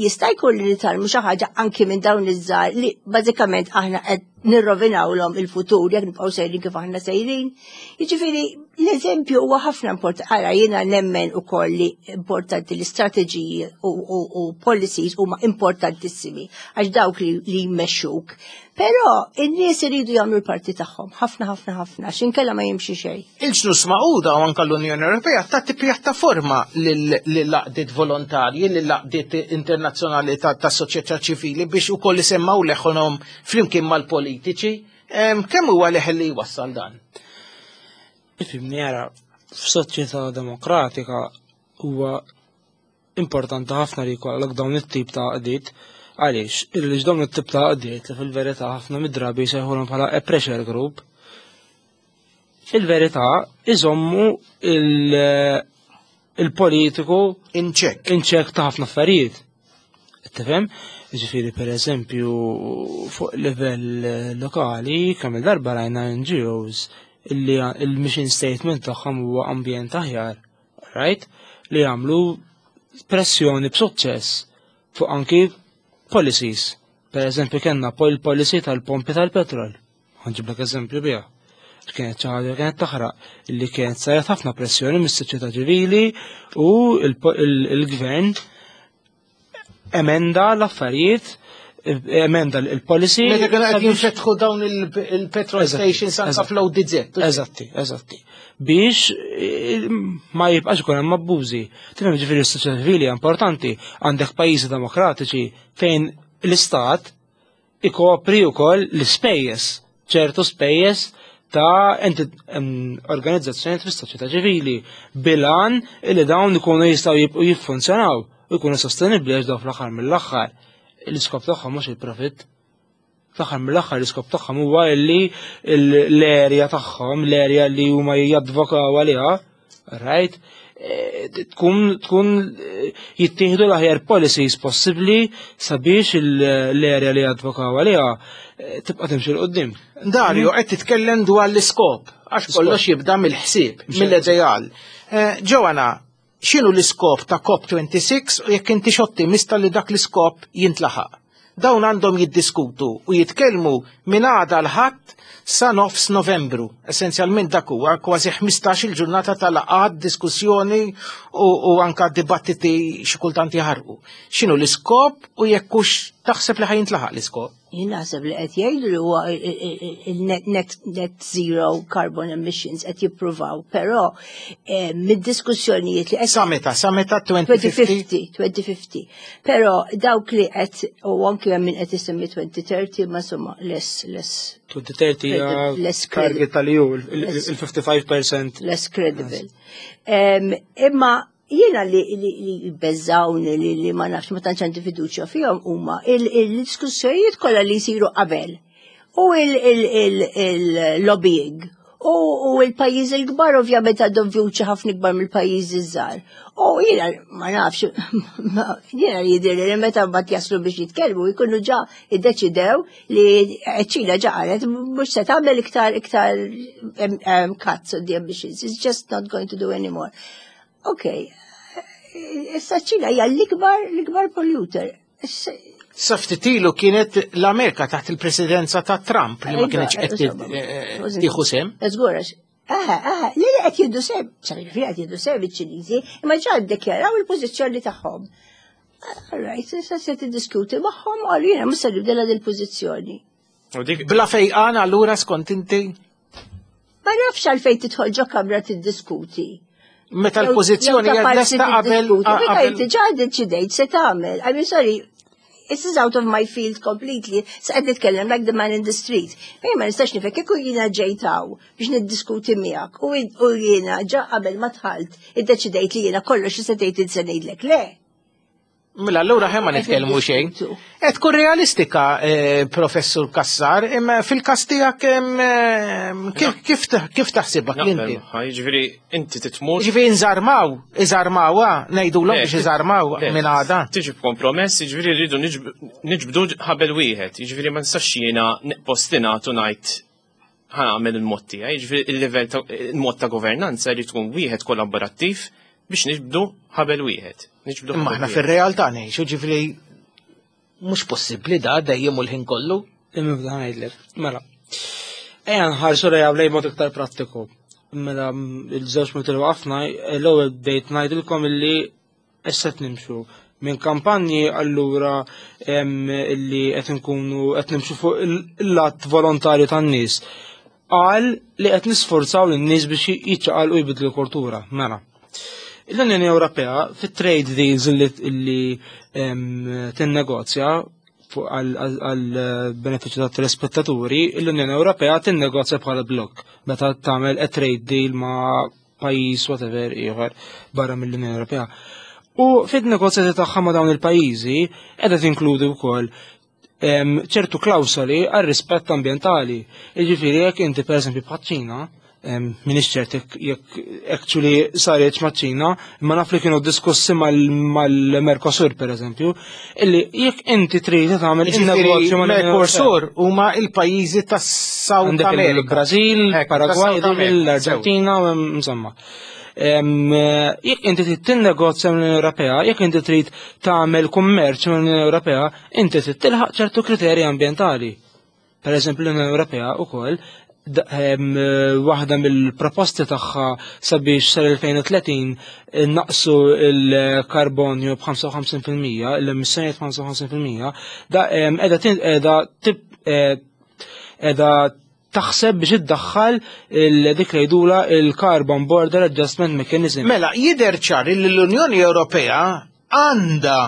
jista' jkun li nitgħallmu xi ħaġa anki minn dawn iż-żgħar li bażikament aħna qed nirrovinawlhom il-futur jekk nibqgħu sejrin kif aħna sejrin. Jiġifieri l-eżempju huwa ħafna importanti. Ara jiena nemmen ukoll li importanti l-istrateġiji u, u, u policies huma importantissimi għax dawk li, li jmexxuk. Però in-nies iridu jagħmlu l-parti tagħhom ħafna ħafna ħafna x'inkella ma jimxi xejn. Il-ġnus Magħquda u anke l-Unjoni Ewropea tagħti pjattaforma lill-għaqdiet volontarji, lill-għaqdiet internazzjonali tas-soċjetà ċivili biex ukoll isemmgħu leħħonhom flimkien mal-politiċi. Kemm huwa leħen li jwassal dan? Ifhimni ara, f'soċjetà demokratika huwa importanti ħafna li jkollok dawn it-tip ta' għaqdiet. Għaliex? Illi dawn it-tip ta' għaqdiet li fil-verità ħafna mid-drabi jsejħulhom bħala a pressure group, fil-verità iżommu il-politiku in check. In check ta' ħafna affarijiet. Tifhem? Ġifieri per eżempju fuq livell lokali kemm il-darba rajna NGOs illi il-mission statement tagħhom huwa ambjent aħjar right? Li jagħmlu pressjoni b'suċċess fuq anki policies. Per eżempju, kellna il-policy tal-pompi tal-petrol. Ħanġiblek eżempju biha. Kienet xi ħaġa kienet taħraq li kienet saret ħafna pressjoni mis-soċjetà ċivili u il-gvern emenda l-affarijiet emenda l-policy. Meta kienu qed jinfetħu dawn il-petrol stations anka fl-ODZ. Eżatti, eżatti. Biex eh, ma jibqax ikun hemm abbużi. Tifhem ġifieri s-soċjetà ċivili importanti għandek pajjiżi demokratiċi fejn l-istat ikopri wkoll l-ispejjeż, ċertu spejjeż ta' organizzazzjoni fis-soċjetà ċivili bilan li dawn ikunu jistgħu jibqgħu jiffunzjonaw u jkunu sostenibbli għax dawn fl-aħħar mill-aħħar l-iskop tagħhom mhux il-profitt. Fl-aħħar mill-aħħar l-iskop tagħhom huwa li l-erja tagħhom, l-erja li huma jadvokaw għaliha, right? Eh, tkun tkun eh, jittieħdu l-aħjar policies possibbli sabiex l-erja li jadvokaw għaliha eh, tibqa' timxi l qudiem Dario qed titkellem dwar l-iskop għax kollox jibda mill-ħsieb, mill-ideal. Joanna, x'inhu l-iskop ta' COP26 u jekk intix ottimista li dak l-iskop jintlaħaq. Dawn għandhom jiddiskutu u jitkellmu minn għada l-Ħadd sa nofs Novembru. Essenzjalment dak huwa kważi 15 il-ġurnata ta' laqgħat, diskussjoni u, u anka dibattiti xi kultant jaħarqu. X'inhu l-iskop u jekk hux taħseb li ħajintlaħaq l-iskop? Jien naħseb li qed jgħidu li huwa il-net zero carbon emissions qed jippruvaw, però eh, mid-diskussjonijiet li qed Sa meta, sa meta 2050? 2050. Però dawk li qed u anki hemm min qed isemmi 2030 ma insomma less less 2030 hija less target tal-EU il-55%. Less credible. Imma Jiena li li beżawni li li ma nafx ma tantx għandi fiduċja fihom huma il-diskussjonijiet kollha li jsiru qabel u il-lobbying u il-pajjiżi l-kbar ovvjament għandhom vuċi ħafna ikbar mill-pajjiżi żgħar. U jiena ma nafx, jiena jidher li meta mbagħad jaslu biex jitkellmu jkunu ġa iddeċidew li ċ-Ċina ġa qalet mhux se tagħmel iktar iktar cuts on the emissions. It's just not going to do anymore. Ok, issa ċina hija l-ikbar l-ikbar polluter. Sa ftit ilu kienet l-Amerika taħt il-presidenza ta' Trump li ma iva, kienx qed eh, eh, tieħu sem. Żgur Aha, aha, li li qed jiddu sem, ċarri qed jiddu sem iċ-Ċiniżi, imma ġa ddikjaraw il-pożizzjoni tagħhom. All right, issa se tiddiskuti magħhom, għal jiena mhux se nibdilha dil-pożizzjoni. Bla fejqan allura skont inti? Ma nafx għalfejn tidħol ġo kamra tiddiskuti. Meta l-pożizzjoni hija lesta qabel. Meta inti ġa deċidejt se tagħmel. I mean sorry, this is out of my field completely. Se qed nitkellem like the man in the street. Ej ma nistax nifhem kieku jiena ġejt hawn biex niddiskuti miegħek u jiena ġa qabel ma dħalt iddeċidejt li jiena kollox li se tgħid se ngħidlek le. Mela allura ħe ma nitkellmu xejn. Qed tkun realistika, eh, Professur Kassar, imma fil-każ tiegħek eh, kif taħsibha inti? Jiġifieri inti titmur. Jiġifieri nżarmaw, iżarmaw, ah, ngħidulhom biex iżarmaw minn għada. Tiġi b'kompromess, jiġifieri rridu niġbdu ħabel wieħed, jiġifieri ma nistax jiena postinat u ngħid ħanagħmel il-mod tiegħi, jiġifieri il-livell ta' il-mod ta' governanza jrid tkun wieħed kollaborattiv biex niġbdu ħabel wieħed. Niġbdu Imma aħna fir-realtà ngħixu ġifieri mhux possibbli da dejjem u l-ħin kollu. Imma ngħidlek, mela. Ejja nħarsu lejha lejn mod iktar prattiku. Mela il-żewġ minuti li waqafna, l-ewwel bdejt ngħidilkom illi Issa qed nimxu minn kampanji allura li qed inkunu qed nimxu fuq il-lat volontarju tan-nies qal li qed nisforzaw lin-nies biex jiċċaqalqu jbidlu l-kultura. Mela. L-Unjoni Ewropea fit-trade deals li tinnegozja fuq għal benefiċċju tat-telespettaturi, l-Unjoni Ewropea tinnegozja bħala blokk meta tagħmel a trade deal ma' pajjiż whatever ieħor barra mill-Unjoni Ewropea. U fid-negozjati tagħha ma' dawn il-pajjiżi qiegħda tinkludi wkoll ċertu klawsoli għal rispett ambjentali. Jiġifieri jekk inti pereżempju bħaċ-Ċina, minix ċert jekk actually saret maċ-Ċina, imma naf li kienu diskussi mal-Mercosur pereżempju, illi jekk inti trid tagħmel in-negozju mal-Mercosur huma il-pajjiżi tas-South America. Il-Brażil, Paraguay, l-Arġentina, insomma. Jekk inti trid tinnegozja mill-Unjoni Ewropea, jekk inti trid tagħmel kummerċ mill-Unjoni Ewropea, inti trid tilħaq ċertu kriterji ambjentali. Per eżempju l-Unjoni Ewropea wkoll waħda mill-proposti tagħha sabiex sal-2030 naqsu l-karbonju b'55%, l-emissjonijiet b'55%, da qiegħda qiegħda taħseb biex iddaħħal dik li jgħidula il-Carbon Border Adjustment Mechanism. Mela, jidher ċar li l-Unjoni Ewropea għandha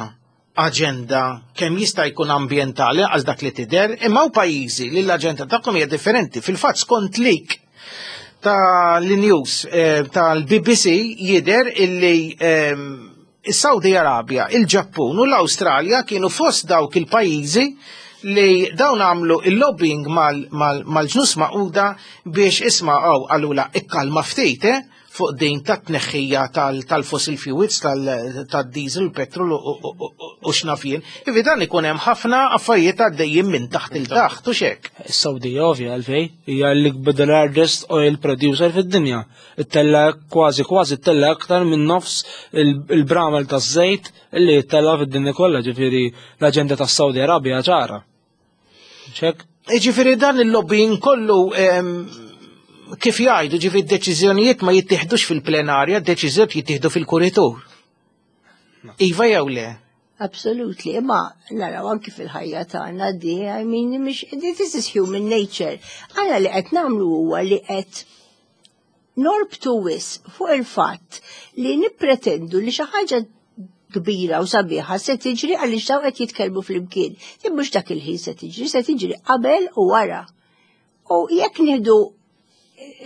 aġenda kemm jista' jkun ambjentali għal dak li tidher, imma hawn pajjiżi li l-aġenda tagħhom hija differenti. Fil-fatt skont leak tal-news eh, tal-BBC jidher illi ehm, is-Saudi Arabja, il-Ġappun u l-Awstralja kienu fost dawk il-pajjiżi li dawn għamlu il-lobbying mal-ġnus maquda biex isma' għaw għalula ikkalma ftit, eh? fuq din ta' tneħħija tal-fossil fuels, tal-diesel, petrol u x'naf jien. Ivi dan ikun hemm ħafna affarijiet għaddejjin minn taħt il-taħt u xek. Is-Sawdija ovvja għalfej hija l-ikbar the largest oil producer fid-dinja. Ittella kważi kważi ttella aktar minn nofs il-bramel taż-żejt li ttella fid-dinja kollha, ġifieri l-aġenda tas-Saudi Arabja ċara. Ċek? Ġifieri dan il-lobbying kollu kif jgħidu ġifieri d-deċiżjonijiet ma jittieħdux fil-plenarja, d-deċiżjonijiet jittieħdu fil-kuritur. Iva jew le? Absolutely, imma naraw anki fil-ħajja tagħna di, I mean, mhix this is human nature. Għala li qed nagħmlu huwa li qed norbtu wisq fuq il-fatt li nippretendu li xi ħaġa kbira u sabiħa se tiġri għaliex daw qed jitkellmu flimkien. Din mhux dak il-ħin se tiġri, se tiġri qabel u wara. U jekk nieħdu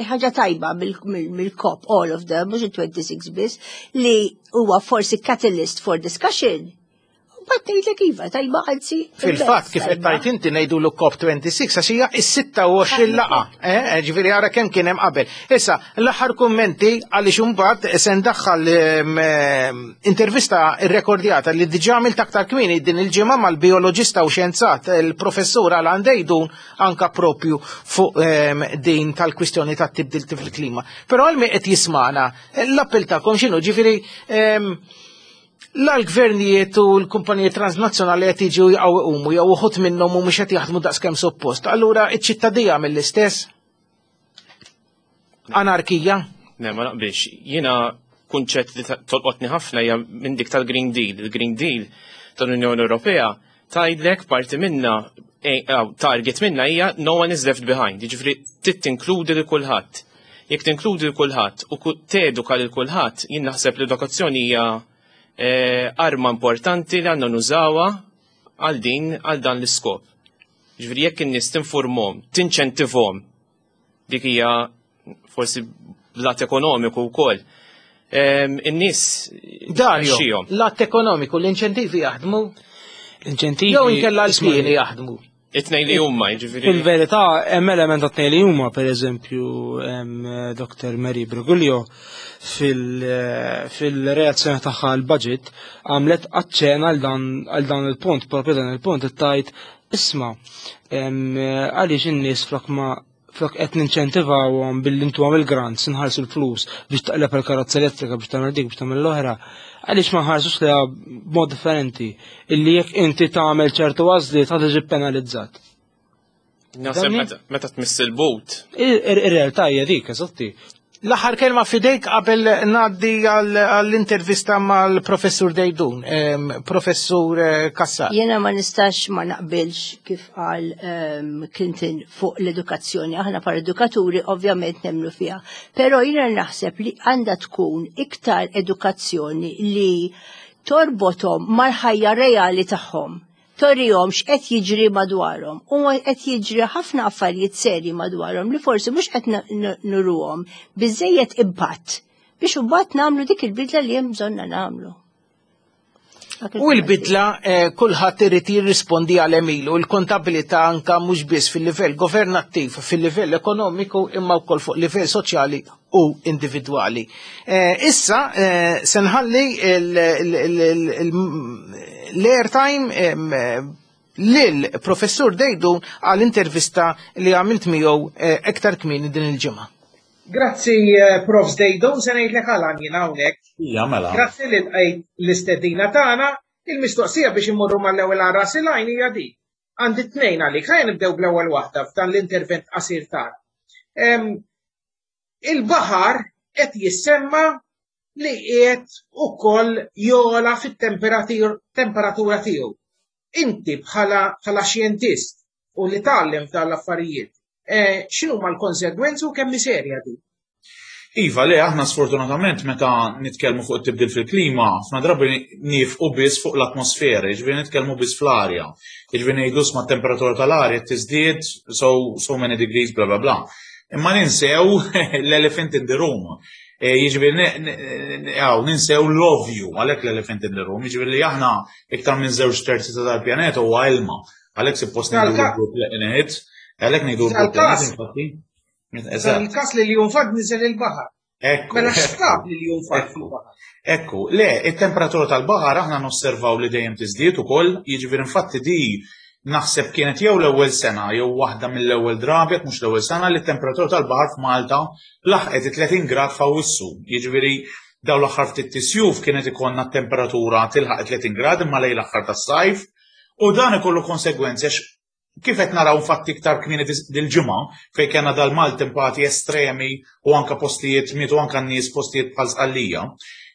ħaġa tajba mill-COP, all of them, mhux il-26 biss, li huwa forsi catalyst for discussion, Bat ngħidlek iva, tajba anzi. Fil-fatt kif qed tgħid inti ngħidulu COP26 għax hija is-26 laqgħa, eh, eh, ġifieri ara kemm kien hemm qabel. Issa, l-aħħar kummenti għaliex imbagħad se ndaħħal ehm, intervista rrekordjata li diġà għamilt aktar kmieni din il-ġimgħa mal-bioloġista u xjenzat il-professur Alan Dejdun anka propju fuq ehm, din tal-kwistjoni tat-tibdil fil-klima. Però għal qed jismana, l-appell tagħkom x'inhu ġifieri ehm, La l-gvernijiet u l-kumpaniji transnazzjonali qed jiġu jaqgħu iqumu jew uħud minnhom mhumiex qed jaħdmu daqskemm suppost. Allura iċ-ċittadija jagħmel l-istess? Anarkija? Ne, ma naqbilx. Jiena kunċett li tolqotni ħafna hija minn dik tal-Green Deal. Il-Green Deal tal-Unjoni Ewropea tgħidlek parti minna target minna hija no one is left behind, jiġifieri trid tinkludi lil kulħadd. Jekk tinkludi lil kulħadd u teduka lil kulħadd, jien naħseb l-edukazzjoni hija eh, arma importanti li għandna nużawha għal din għal dan l-iskop. Ġifieri jekk in-nies tinformhom, tinċentivhom dik hija forsi lat ekonomiku wkoll. In-nies Dario, lat ekonomiku, l-inċentivi jaħdmu? L-inċentivi. Jew inkella l-pieni jaħdmu. It-tnejn li huma, jiġifieri. Fil-verità hemm element ta' tnejn li huma, pereżempju Dr. Mary Briguglio fil-reazzjoni tagħha għal budget għamlet aċċena għal dan il-punt, propju dan il-punt tajt isma' għaliex in-nies flok ma flok qed ninċentivawhom billi ntuhom il-grants nħarsu l-flus biex taqleb il-karozza elettrika biex tagħmel dik biex tagħmel l-oħra, għaliex ma nħarsux liha b'mod differenti illi jekk inti tagħmel ċertu għażliet ħa tiġi penalizzat. Naħseb meta tmiss il-bot. Ir-realtà hija dik, eżatti. L-aħħar kelma fidejk qabel ngħaddi għall-intervista mal-Professur Dejdun, Professur eh, Kassar. Jiena ma nistax ma naqbilx kif qal Clinton fuq l-edukazzjoni. Aħna par edukaturi ovvjament nemlu fiha. Però jiena naħseb li għandha tkun iktar edukazzjoni li torbothom mal-ħajja reali tagħhom torihom x'qed jiġri madwarhom. U qed jiġri ħafna affarijiet serji madwarhom li forsi mhux qed nuruhom biżejjed impatt biex imbagħad nagħmlu dik il-bidla li hemm bżonna nagħmlu. U l-bidla eh, kulħadd irid jirrispondi għal emilu, l-kontabilità anka mhux biss fil-livell governattiv, fil-livell ekonomiku imma wkoll fuq livell soċjali u individwali. Eh, issa eh, se nħalli l-airtime lil professur Dejdu għal intervista li għamilt miegħu eh, iktar kmieni din il-ġimgħa. Grazzi Prof. Dejdu, se ngħidlek għal jien hawnhekk. Ija mela. Grazzi li lqajt l-istedina tagħna, il-mistoqsija biex immorru mal-ewwel għal ras il-għajn hija di. Għandi tnejn għalik, ħajja nibdew bl-ewwel waħda f'dan l-intervent qasir tagħna. Il-baħar qed jissemma li qiegħed ukoll jola fit-temperatura tiegħu. Inti bħala bħala xjentist u li tgħallem f'dan l-affarijiet, eh, x'inhuma l-konsegwenzi u kemm serja din? Iva, le, aħna sfortunatament meta nitkellmu fuq it-tibdil fil-klima, ħafna drabi nifqu biss fuq l-atmosfera, jiġifieri nitkellmu biss fl-arja. Jiġifieri ngħidu sma temperatura tal-arja tiżdied so, so many degrees, bla bla bla. Imma ninsew l-elephant in the room. E, jiġifieri ninsew l-ovju, għalhekk l-elephant in the room, jiġifieri li aħna iktar minn żewġ terzi ta' dal-pjaneta huwa ilma. Għalhekk suppost ngħidu l-planet, għalhekk ngħidu l-planet infatti. Il-kas li l-jum fad niżel il-baħar. Ekku. Mela x'sab li l-jum fad fil-baħar? Ekku, le, it-temperatura tal-baħar aħna nosservaw li dejjem tiżdied ukoll, jiġifieri infatti di naħseb kienet jew l-ewwel sena jew waħda mill-ewwel drabi jekk mhux l-ewwel sena li t-temperatura tal-baħar f'Malta laħqet 30 grad f'Awwissu. Jiġifieri dawn l-aħħar ftit tisjuf kienet ikollna t-temperatura tilħaq 30 grad imma lejn l-aħħar tas-sajf u dan ikollu konsegwenzi għax kif qed naraw infatti iktar kmieni dil-ġimgħa fejn kellna dal-maltempati estremi u anka postijiet mietu anka n-nies postijiet bħal Sqallija.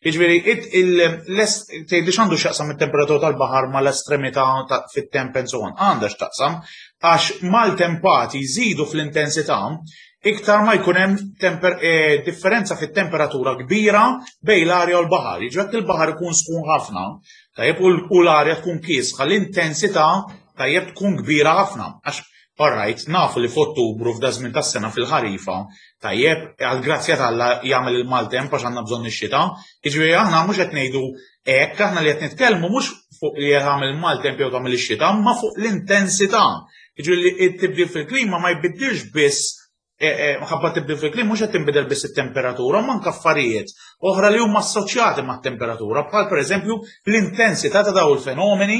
Jiġifieri tgħidli x'għandu x'jaqsam it-temperatura tal-baħar mal-estremità fit-temp and so on. Għandha x'taqsam għax maltempati jżidu fl-intensità iktar ma jkun hemm eh, differenza fit-temperatura kbira bejn l-arja u l-baħar. Jiġifieri jekk il-baħar ikun sħun ħafna, tajjeb u l-arja tkun kiesħa, l-intensità tajjeb tkun kbira ħafna. Għax, alright, nafu li f'Ottubru f'da żmien tas-sena fil-ħarifa, tajjeb, għall-grazzja t'Alla jagħmel il-maltemp għax għandna bżonn ix-xita. Jiġifieri aħna mhux qed ngħidu hekk, aħna li qed nitkellmu mhux fuq li jagħmel il-maltemp jew tagħmel ix-xita, imma fuq l-intensità. Jiġifieri li t-tibdil fil-klima ma jbiddilx biss E, e, ħabba tibdil fil-klim mhux qed tinbidel biss it-temperatura, ma anke affarijiet oħra li huma assoċjati mat-temperatura, bħal pereżempju l-intensità ta' daw il-fenomeni,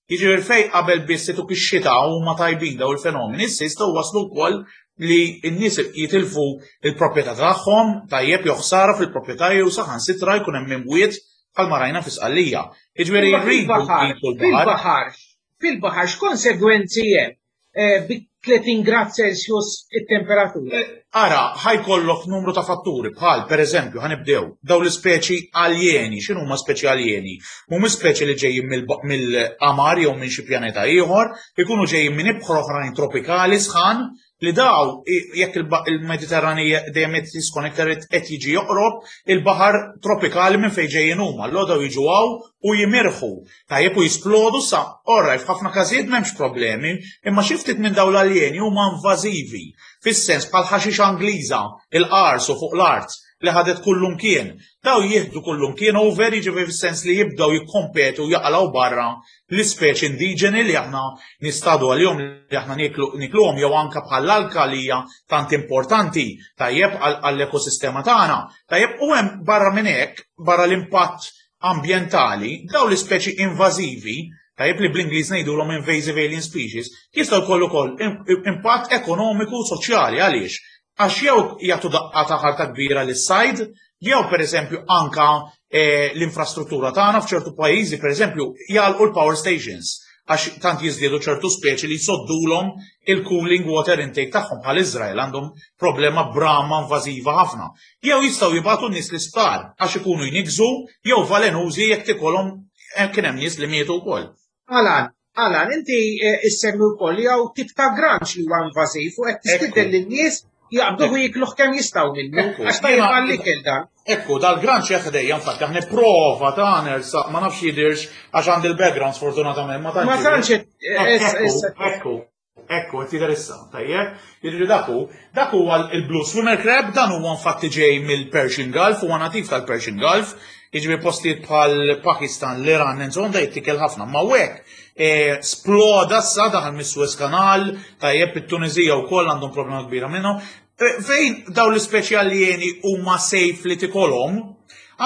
jiġifieri fej qabel biss ituk ix-xita huma tajbin daw il-fenomeni, issa jistgħu waslu wkoll li n-nies jitilfu il-proprjetà tagħhom, tajjeb jew ħsara fil-proprjetà jew saħansitra jkun hemm imwiet bħalma rajna fi Sqallija. Jiġifieri rridu fil-baħar, fil-baħar x'konsegwenzi hemm eh, 30 grad Celsius it-temperatura. Eh, ara, ħajkollok numru ta' fatturi bħal pereżempju ħanibdew daw l-ispeċi aljeni, x'inhu huma speċi aljeni? Mhumiex speċi li ġejjin mill-qamar jew minn xi pjaneta ieħor, ikunu ġejjin minn ibħra oħrajn tropikali sħan li daw jekk il-Mediterrani dejjem qed jiskon iktar qed jiġi joqrob il-baħar tropikali minn fejn ġejjin huma. Allura daw jiġu hawn u jimirħu. Tajjeb u jisplodu sa orraj f'ħafna każijiet m'hemmx problemi, imma xi ftit minn dawn l-aljeni huma invażivi, fis-sens bħal ħaxix Angliża, il-qarsu fuq l-art li ħadet kullumkien. Daw jieħdu kullumkien over, jiġifieri fis-sens li jibdew jikkompetu jaqalgħu barra l-ispeċi indiġeni li aħna nistadu għalihom li aħna nikluhom jew anke bħall-alka li hija tant importanti tajjeb għall-ekosistema tagħna. Tajjeb u hemm barra minn hekk, barra l-impatt ambjentali, daw l-ispeċi invażivi tajjeb li bl-Ingliż ngħidulhom invasive alien species, jistgħu jkollu wkoll impatt ekonomiku u soċjali għaliex? Għax jew jagħtu daqqa ta' ħarta kbira lis-sajd, jew pereżempju anka eh, l-infrastruttura tagħna f'ċertu pajjiżi pereżempju jagħlqu l-power stations għax tant jiżdiedu ċertu speċi li jsoddulhom il-cooling water intake tagħhom bħal Izrael għandhom problema brama invażiva ħafna. Jew jistgħu jibgħatu n-nies l-isptar għax ikunu jnigżu jew valenużi jekk tikolhom eh, kien hemm nies li mietu wkoll. Alan, Alan, inti eh, issemmi wkoll li hawn tip ta' granċ li huwa invażiv u qed tistieden lin-nies jaqbduh u jikluh kemm jistgħu minnu għax tajjeb għall-ikel dan. Ekku, dal-granċ jeħdejja infatti aħna prova ta' nersa ma nafx jidirx għax għandi l-background sfortunatament ma tantx. Ma tantx eh, ekku. Ekku, qed jidher issa, tajjeb. Jiġifieri dak hu, dak huwa l-Blue Swimmer Crab, dan huwa infatti ġej mill-Persian Gulf, huwa nativ tal-Persian Gulf, jiġifieri postijiet bħal Pakistan, l-Iran, and so on, da jittikel ħafna. Ma hekk eh, sploda sa daħal mis-Suez Canal, tajjeb it-Tunizija wkoll għandhom problema kbira minnhom. Eh, fejn daw l-ispeċi aljeni huma safe li tikolhom,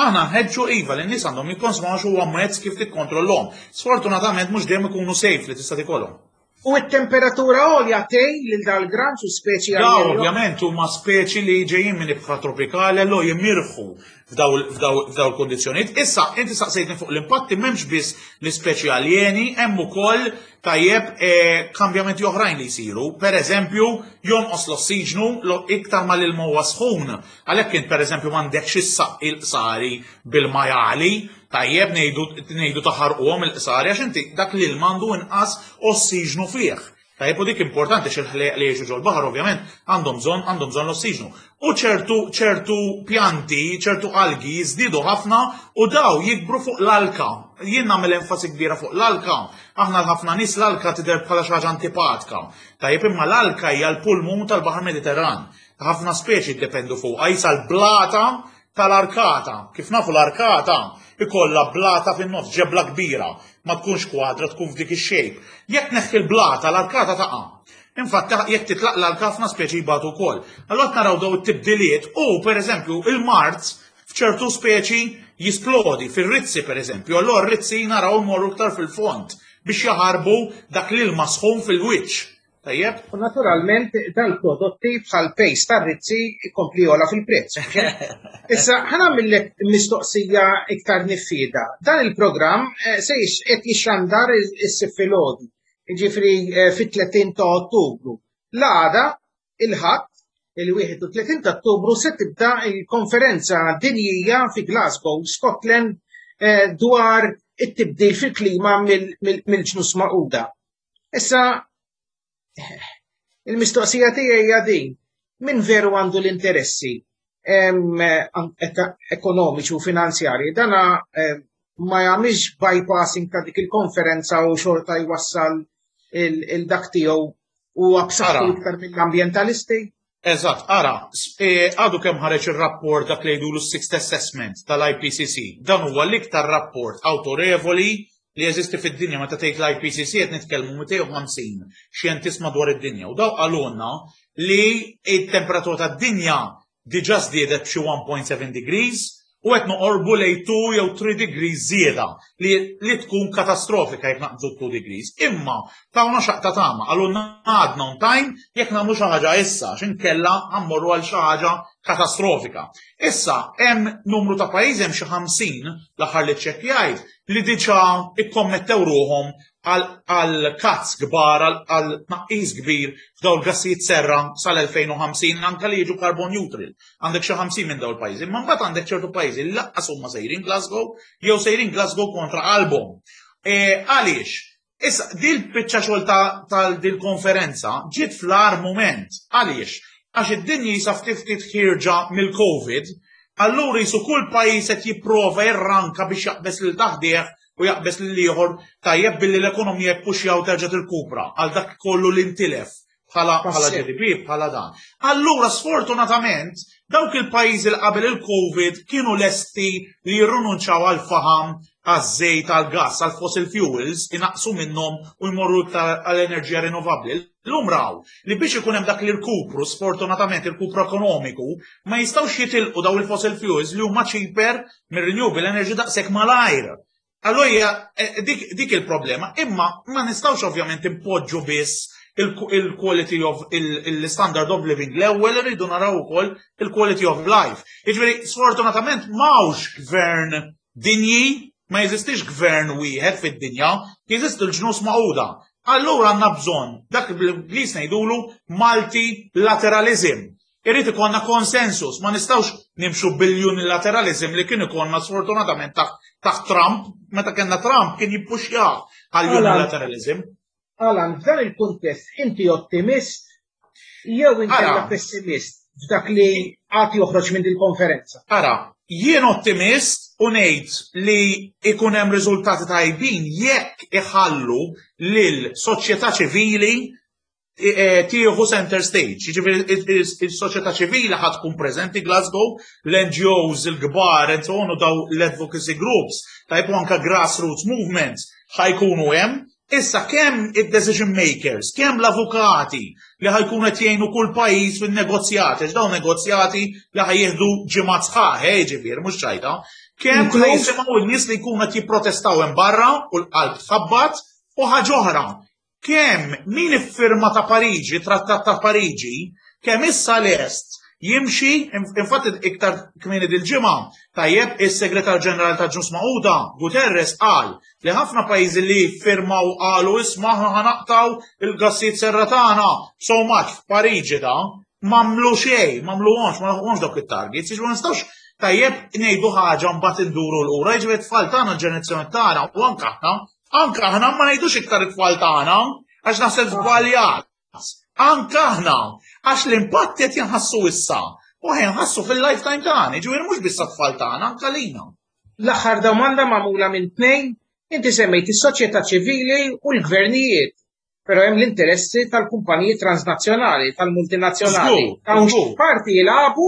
aħna nħeġġu iva li n-nies għandhom jikkonsmaw għax huwa mezz kif tikkontrollhom. Sfortunatament mhux dejjem ikunu safe li tista' tikolhom. U t-temperatura għolja tgħin lil dal-granċ u speċi Daw ovvjament huma speċi li ġejjin minn ibħra tropikali allo jimirħu f'daw il-kondizzjonijiet. Issa, inti saqsejtni fuq l-impatti m'hemmx biss l-ispeċi aljeni, hemm ukoll tajjeb eh, kambjamenti oħrajn li jsiru. Per eżempju, jonqos l-ossiġnu iktar ma l-ilma huwa sħun. Għalhekk int pereżempju m'għandekx is-saqqi l-qsari bil-majali, Tajjeb ngħidu ngħidu taħarquhom il-qsari għax inti dak l-ilma għandu inqas ossiġnu fih. Tajjeb u dik importanti xil-ħlejq li jgħixu ġol-baħar ovvjament għandhom bżonn għandhom bżonn l-ossiġnu. U ċertu ċertu pjanti, ċertu algi jiżdiedu ħafna u daw jikbru fuq l-alka. Jien nagħmel enfasi kbira fuq l-alka. Aħna l-ħafna nies l-alka tidher bħala xi ħaġa antipatka. Tajjeb imma l-alka hija l-pulmun tal-Baħar Mediterran. Ħafna speċi jiddependu fuqha, jisa l-blata tal-arkata. Kif nafu l-arkata ikollha blata fin-nofs, ġebla kbira, ma tkunx kwadra, tkun f'dik ix-shape. Jekk tneħħi l-blata, l-arkata taqa'. Infatti jekk titlaq l-alka ħafna speċi jbatu wkoll. Allura qed naraw daw it-tibdiliet u pereżempju il-mard f'ċertu speċi jisplodi, fir-rizzi pereżempju, allura r-rizzi naraw imorru iktar fil-fond biex jaħarbu dak l-ilma sħun fil-wiċċ. Tajjeb? U naturalment dal-prodotti bħal pejs tar-rizzi jkompli jola fil-prezz. Issa ħa nagħmillek mistoqsija iktar niffieda. Dan il-programm eh, se qed jixxandar is-sibt filgħodu, jiġifieri eh, fit-30 ta' Ottubru. L-għada il-Ħadd il-31 ta' Ottubru se tibda il-konferenza dinjija fi Glasgow, Scotland, eh, dwar it-tibdil fil-klima mill-ġnus Magħquda. Issa, il-mistoqsija tiegħi hija din, min veru għandu l-interessi ekonomiċi u finanzjarji, dana ma jagħmilx bypassing ta' dik il-konferenza u xorta jwassal il-dak tiegħu u b'saħħtu iktar mill-ambjentalisti? Eżatt, ara, e, għadu kemm ħareġ ir-rapport dak li jgħidulu s-Sixth Assessment tal-IPCC. Dan huwa l-iktar rapport awtorevoli li jeżisti fid-dinja meta tgħid l-IPCC qed nitkellmu 250 xjentist madwar id-dinja. U daw qalulna li t-temperatura tad-dinja diġà żdiedet b'xi 1.7 degrees u qed noqorbu lejn 2 jew 3 degrees żieda li, li tkun katastrofika jekk naqbżu 2 degrees. Imma tawna xaqq ta' tama, qalulna għadna on time jekk nagħmlu xi ħaġa issa, x'inkella ħammorru għal xi ħaġa katastrofika. Issa hemm numru ta' pajjiżi hemm xi 50 l-aħħar li ċċekkjajt li diġà ikkommettew ruħhom għal cuts kbar, għal tnaqqis kbir f'daw il-gassijiet serra sal-2050 anka li jiġu carbon neutral. Għandek xi 50 minn daw il-pajjiżi, imma mbagħad għandek ċertu pajjiżi li laqqas huma sejrin Glasgow jew sejrin Glasgow kontra qalbhom. E, għaliex? Issa, dil biċċa xogħol tal dil konferenza ġiet fl-agħar mument. Għaliex? Għax id-dinja jisa ftit ftit ħierġa mill-Covid, allura jisu kull pajjiż qed jipprova jirranka biex jaqbeż lil taħdieħ u jaqbeż lil ieħor tajjeb billi l-ekonomija jippuxjaw terġa' tirkupra għal dak kollu li ntilef bħala bħala GDP bħala dan. Allura sfortunatament dawk il-pajjiżi li qabel il-Covid kienu lesti li jirrinunċaw għal faham għaż-żejt għal gas għal fossil fuels inaqsu minnhom u jmorru iktar għal enerġija rinnovabbli. Llum raw li biex ikun hemm dak li rkupru, sfortunatament il-kupru ekonomiku, ma jistgħux jitilqu daw il-fossil fuels li huma cheaper mir-renewable energy daqshekk malajr. Allura hija eh, dik, dik il-problema, imma ma nistgħux ovvjament impoġġu biss il-quality of il-standard of living l-ewwel irridu naraw ukoll il-quality of life. Jiġifieri sfortunatament m'hawnx gvern dinji, ma jeżistix gvern wieħed fid-dinja, jeżistu l-ġnus magħquda. Allura għandna bżonn dak bl-Ingliż ngħidulu multilateralism. Irrid ikollna konsensus, ma nistgħux nimxu bil-unilateralism li kien ikollna sfortunatament taħt Trump, meta kellna Trump kien jippuxjah għal unilateralism. Alan, f'dan il-kuntest inti ottimist jew inkella pessimist f'dak li għad joħroġ minn il-konferenza? Ara, jien ottimist u ngħid li ikun hemm riżultati tajbin jekk iħallu lil soċjetà ċivili e, tieħu center stage. Jiġifieri is-soċjetà ċivili ħad tkun preżenti Glasgow, l-NGOs il-kbar and so on u daw l-advocacy groups, tajb u anka grassroots movements ħajkunu hemm. Issa kemm id-decision makers, kemm l-avukati li ħajkunu qed jgħinu kull pajjiż fin-negozjati, għax dawn negozjati li ħajjieħdu ġimgħat sħaħ, eh, ġifieri mhux ċajta. Kemm jisimgħu n-nies li jkunu qed jipprotestaw hemm barra u l-qalb tħabbat u ħaġa oħra. Kemm min iffirma ta' Pariġi, trattat ta' Pariġi, kemm issa lest jimxi, infatti iktar kmieni dil-ġimgħa, tajjeb is-Segretar Ġenerali ta' Ġnus Magħquda, Guterres qal li ħafna pajjiżi li firmaw qalu isma' aħna ħanaqtaw il-gassijiet serra tagħna so much f'Pariġi da m'għamlu xejn, m'għamluhomx, ma laħquhomx dawk it-targets, jiġifieri ma nistgħux tajjeb ngħidu ħaġa mbagħad induru l-ura, jiġifieri tfal tagħna l-ġenerazzjoni tagħna u anke aħna, anke aħna ma ngħidux iktar it-tfal tagħna għax naħseb żbaljat. Anke aħna, għax l-impatt qed jinħassu issa u ħajnħassu fil-lifetime tagħna, jiġifieri mhux biss tfal tagħna, anke lina. L-aħħar domanda magħmula minn tnejn, inti semmejt is-soċjetà ċivili u l-gvernijiet, però hemm l-interessi tal-kumpaniji transnazzjonali, tal-multinazzjonali. Hawn parti jilagħbu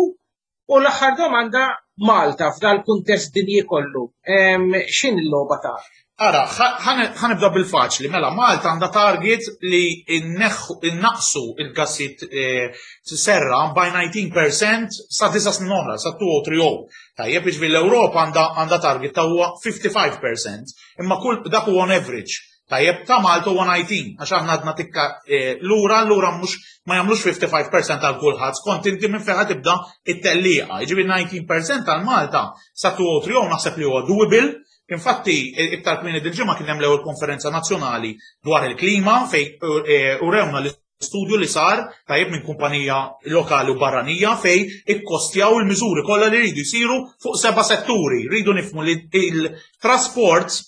u l-aħħar domanda Malta f'dal kuntest dinji kollu. X'in il-logħba ta' Ara, ħanibda bil-faċli, mela Malta għandha target li innaqsu il-gassijiet eh, serra by 19% sa disa snin oħra, sa 2030. Tajjeb, jiġifieri l-Ewropa għandha target ta' huwa 55%, imma kull dak huwa on average. Tajjeb, ta' Malta huwa 19, għax aħna għadna tikka eh, lura, lura mhux ma jagħmlux 55% għal kulħadd, skont inti minn fejn tibda it-tellieqa. Jiġifieri 19% għal Malta sa 2030 naħseb li huwa doable. Infatti, iktar kmieni dil-ġimgħa kien hemm l-ewwel konferenza nazzjonali dwar il-klima fejn eh, urewna li studju li sar tajjeb minn kumpanija lokali u barranija fej ikkostjaw il-miżuri kollha li jridu jsiru fuq seba' setturi. Rridu nifhmu li il-trasport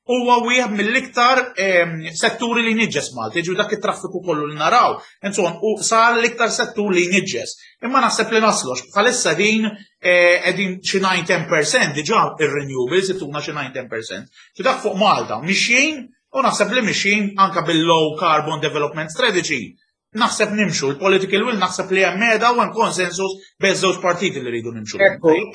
huwa wieħed mill-iktar ehm, setturi li jniġġes Malta, jiġu dak it-traffiku kollu li naraw, insomma, u sar l-iktar settur li jniġġes. Imma naħseb li naslox, bħalissa din eh, qegħdin xi 9-10% diġà ir-renewables ituna xi 9-10%. Xi dak fuq Malta, mixjin U naħseb li mixjin anka bil-low carbon development strategy. Naħseb nimxu, il-political will naħseb li hemm meda u hemm konsensus bejn żewġ partiti li rridu nimxu.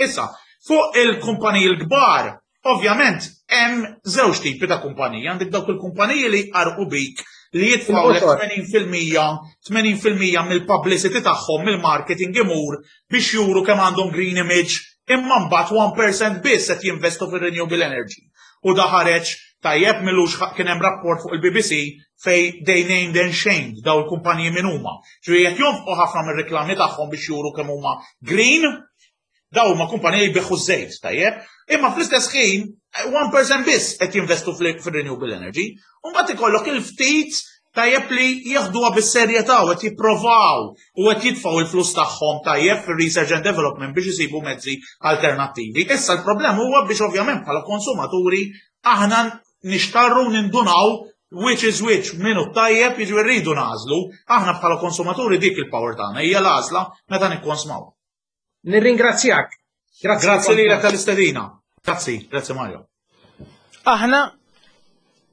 Issa, fuq il-kumpaniji l-kbar, ovvjament hemm żewġ tipi ta' kumpaniji, għandek dawk il-kumpaniji li jqarqu bik li jitfgħu 80% 80% mill-publicity tagħhom mill-marketing imur biex juru kemm għandhom green image imma mbagħad 1% biss qed jinvestu fir-renewable energy. U da ħareġ tajjeb milux kien hemm rapport fuq il-BBC fej they named and shamed daw il-kumpaniji min huma. Ġifieri jekk jonfqu ħafna mir-reklami tagħhom biex juru kemm huma green, Dawn huma kumpaniji jbigħu ż-żejt, tajjeb? Imma fl-istess ħin 1% biss qed jinvestu fil-renewable energy. U mbagħad ikollok il-ftit tajjeb li jieħduha bis-serjetà u qed jipprovaw u qed jitfgħu il-flus tagħhom tajjeb fir-research and development biex isibu mezzi alternattivi. Issa l-problema huwa biex ovvjament bħala konsumaturi aħna nixtarru nindunaw which is which min hu tajjeb jiġu rridu nagħżlu. Aħna bħala konsumaturi dik il-power tagħna hija l-għażla meta nikkonsmaw. Nirringrazzjak. Grazzi, grazzi lilek tal-istedina. Grazzi, grazzi Mario. Aħna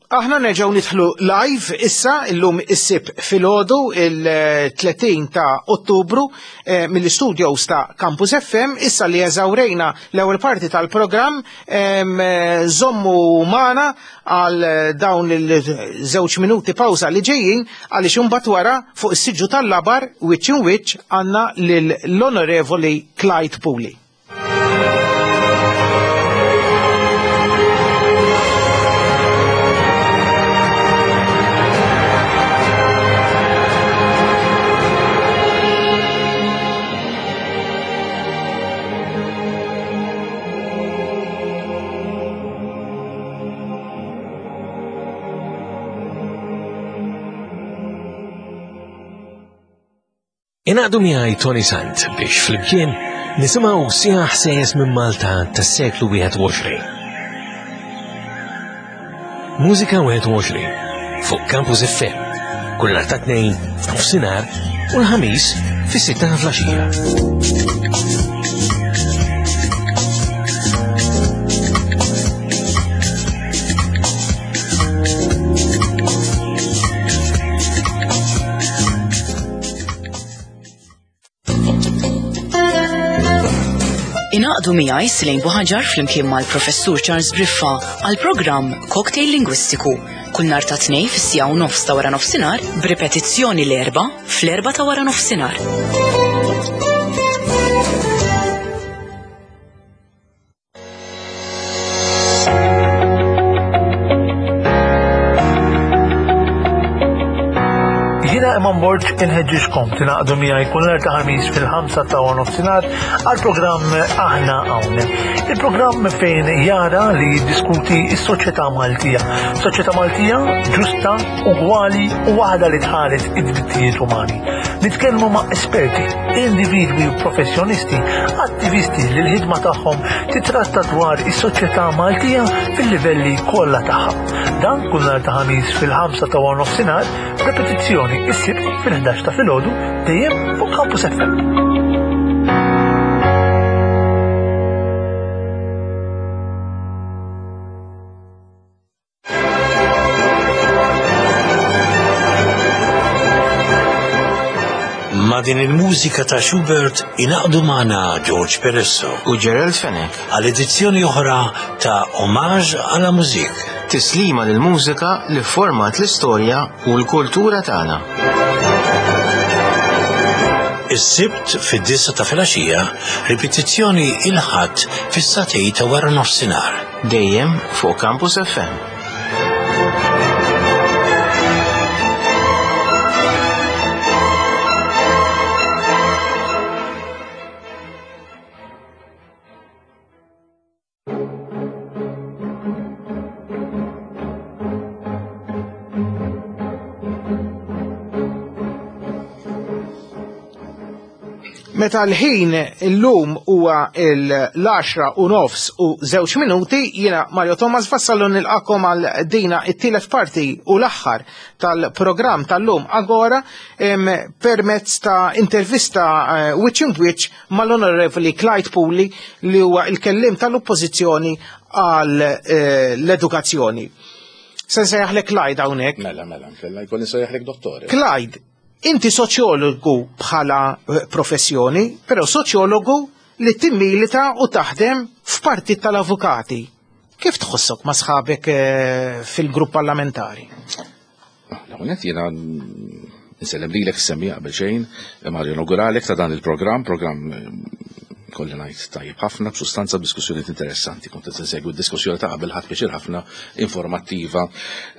Aħna nerġgħu nidħlu live issa illum is-sib filgħodu il-30 ta' Ottubru eh, mill-istudios ta' Campus FM issa li eżawrejna l-ewwel parti tal-programm eh, żommu magħna għal dawn il-żewġ minuti pawża li ġejjin għaliex imbagħad wara fuq is-siġġu tal-labar wiċċ in wiċċ għandna lill-Onorevoli Clyde Puli. Inaqdu miegħi Tony Sant biex flimkien nisimgħu sija ħsejjes minn Malta tas-seklu 21. Mużika 21 fuq Campus FM kull nhar ta' tnejn f'nofsinhar u l-ħamis fis-sitta ta' flaxija. Inaqdu miegħi Silejn Buħaġar flimkien mal-Professur Charles Briffa għal programm Cocktail Lingwistiku kull nhar ta' tnej fis-sija u nofs ta' wara nofsinhar b'ripetizzjoni l-erba' fl-erba' ta' wara nofsinhar. Jiena Eman Borg inħeġġiġkom tingħaqdu miegħi kull nhar ta' ħamis fil-5 ta' nofsinhar għal programm Aħna Hawn. Il-programm fejn jara li jiddiskuti s-soċjetà Maltija. Soċjetà Maltija ġusta, ugwali u waħda li tħares id-drittijiet umani. Nitkellmu ma' esperti, individwi u professjonisti, attivisti li l-ħidma tagħhom titratta dwar is-soċjetà Maltija fil-livelli kollha tagħha. Dan kull nhar ta' ħamis fil-5 ta' nofsinhar, repetizzjoni is-sibt fil-11 ta' filgħodu dejjem fuq Campus FM. Ma' din il-mużika ta' Schubert inaqdu magħna George Peresso u Gerald Fenech għal edizzjoni oħra ta' Homage à la Musique. Tislima lil mużika li format l-istorja u l-kultura tagħna. Is-Sibt fid-disa ta' filgħaxija, ripetizzjoni il-Ħadd fis-sagħtej ta' wara nofsinhar. Dejjem fuq Campus FM. Meta l-ħin illum huwa l-10 u nofs u żewġ minuti, jiena Mario Thomas Vassallo nilqakom għal dina it-tielet parti u l-aħħar tal-programm tal-lum Agora permezz ta' intervista eh, Witch in Witch mal-Onorevoli Clyde Puli li huwa il-kellim tal-Oppożizzjoni għal eh, l-edukazzjoni. Se nsejjaħlek Clyde hawnhekk. Mela, mela, kella jkolli nsejjaħlek dottore. Clyde, inti soċjologu bħala eh, professjoni, però soċjologu li timmilita u taħdem f'partit tal-avukati. Kif tħossok ma' sħabek eh, fil-grupp parlamentari? L-għonet jena nsellem lilek semmi qabel xejn, Mario nawguralek ta' dan il-programm, programm eh, Kolli ngħid tajjeb ħafna, b'sustanza b'diskussjonijiet interessanti. Kont qed insegwi d-diskussjoni ta' qabel ħadd pjaċir ħafna informattiva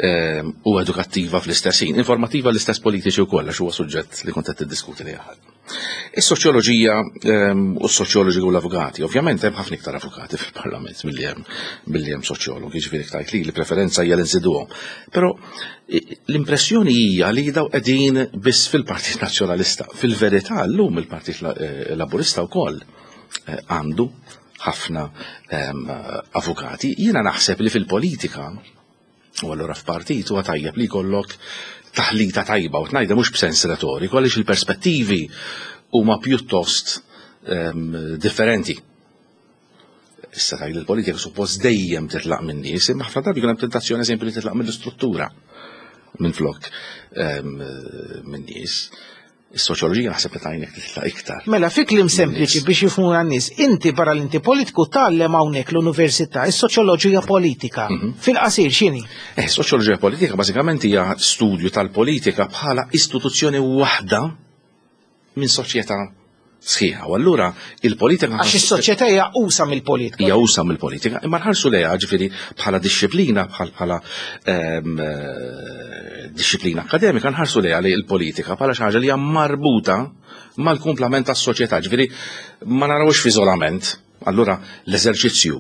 ehm, u edukattiva fl-istess ħin. Informattiva l-istess politiċi wkoll għax huwa suġġett li kont qed tiddiskuti li aħħar. Is-soċjoloġija ehm, u s-soċjoloġi u l-avukati, ovvjament hemm ħafna iktar avukati fil-parlament milli hemm milli hemm soċjologi, ġifieri tajt li l-preferenza hija li nżiduhom. Però l-impressjoni hija li daw qegħdin biss fil-Partit Nazzjonalista. Fil-verità llum il-Partit eh, Laburista wkoll eh, għandu ħafna ehm, avukati. Jiena naħseb li fil-politika U allura f'partit huwa tajjeb li jkollok taħlita tajba u tnajda mhux b'sens retoriku għaliex il-perspettivi huma pjuttost ehm, differenti. Issa tajt il-politika suppost dejjem titlaq minn nies, imma ħafna drabi jkun hemm tentazzjoni eżempju li titlaq mill-istruttura minn flok ehm, minn nies. Is-soċjoloġija naħseb li tgħinek titlaq iktar. Mela fi kliem sempliċi biex jifhmuna n-nies, inti barra l-inti politiku tgħallem hawnhekk l-università is-soċjoloġija politika. Mhm. Fil-qasir x'inhi? Eh, soċjoloġija politika bażikament hija studju tal-politika bħala istituzzjoni waħda minn soċjetà sħiħa. U allura il-politika Għax is-soċjetà hija usa mill-politika. Hija usa mill-politika, imma nħarsu lejha ġifieri bħala dixxiplina bħal bħala ehm, eh, dixxiplina akademika nħarsu lejha li l-politika bħala xi ħaġa li hija marbuta mal-kumplament tas-soċjetà, ġifieri ma narawx f'iżolament. Allura l-eżerċizzju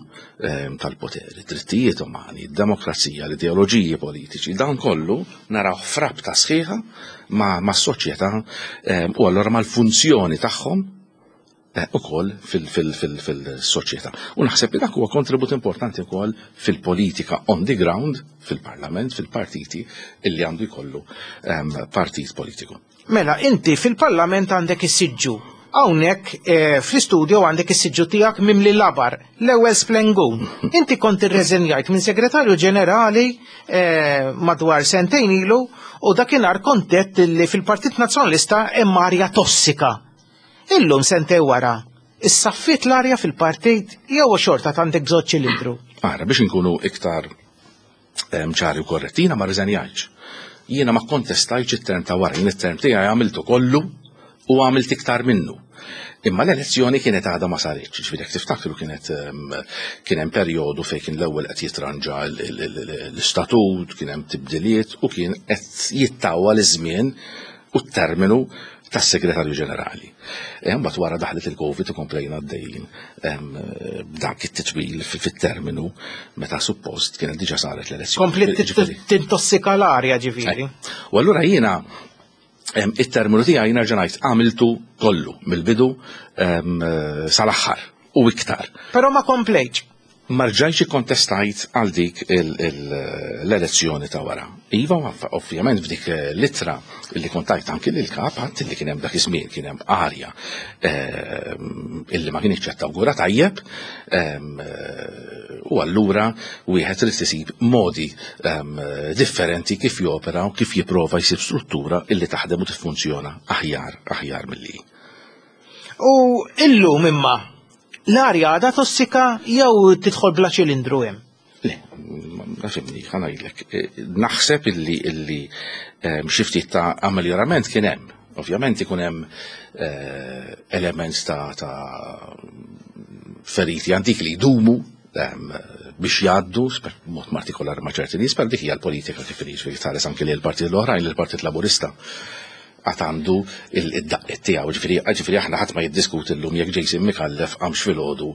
ehm, tal-poter, id-drittijiet umani, id-demokrazija, l-ideoloġiji politiċi, dan kollu naraw frabta sħiħa ma' soċjetà ehm, u allura mal-funzjoni tagħhom eh, ukoll fil-soċjetà. U naħseb li dak huwa kontribut importanti wkoll fil-politika on the ground, fil-parlament, fil-partiti illi għandu jkollu ehm, partit politiku. Mela, inti fil-parlament għandek is-siġġu. Hawnhekk eh, fl-istudio għandek is-siġġu tiegħek mimli labar, l-ewwel splengun. Inti kont irreżenjajt minn segretarju ġenerali eh, madwar sentejn ilu u dakinhar kontet li fil-Partit Nazzjonalista hemm arja tossika. Illum sentej wara, issaffiet l-arja fil-partit jew xorta għandek bżonn ċilindru? Ara, biex inkunu iktar ċari u korretti, jiena ma rriżenjajtx. Jiena ma kontestajtx it-term ta' wara, jien it-term tiegħi għamiltu kollu u għamilt iktar minnu. Imma l-elezzjoni kienet għadha ma saritx, ġifieri jekk tiftakru kienet kien hemm perjodu fejn kien l-ewwel qed jitranġa l-istatut, kien hemm tibdiliet u kien qed jittawwal iż-żmien u t-terminu tas-Segretarju Ġenerali. E, mbagħad wara daħlet il-Covid u komplejna għaddejjin b'dak it-titwil fit-terminu meta suppost kienet diġà saret l-elezzjoni. Komplet tintossika l-arja ġifieri. Eh, u allura jiena it-terminu tiegħi jiena ġenajt għamiltu kollu mill-bidu sal-aħħar u iktar. Però ma komplejtx. Ma rġajtx ikkontestajt għal dik l-elezzjoni ta' wara. Iva, ovvjament f'dik l-ittra li kont tajt anki lill-kap għadt li kien hemm dak iż-żmien kien hemm arja ehm, illi ma kienx qed tawgura tajjeb ehm, u allura wieħed irid isib modi ehm, differenti kif jopera u kif jipprova jsib struttura illi taħdem u tiffunzjona aħjar aħjar milli. U illum imma l-arja għadha tossika jew tidħol bla ċilindru hemm? Le, fimni, ħanajdlek. Eh, naħseb illi illi ehm, xi ftit ta' ameljorament kien hemm. Ovvjament ikun hemm eh, elements ta' ta' feriti antiki li jdumu ehm, biex jgħaddu, mod partikolari ma' ċerti nies, per dik hija l-politika kif inhi, tħares anke lil partit l-oħrajn, lill-Partit Laburista. għad għandu id-daqqiet tiegħu, ġifieri ġifieri aħna ħadd ma jiddiskuti llum jekk Jason Micallef qamx filgħodu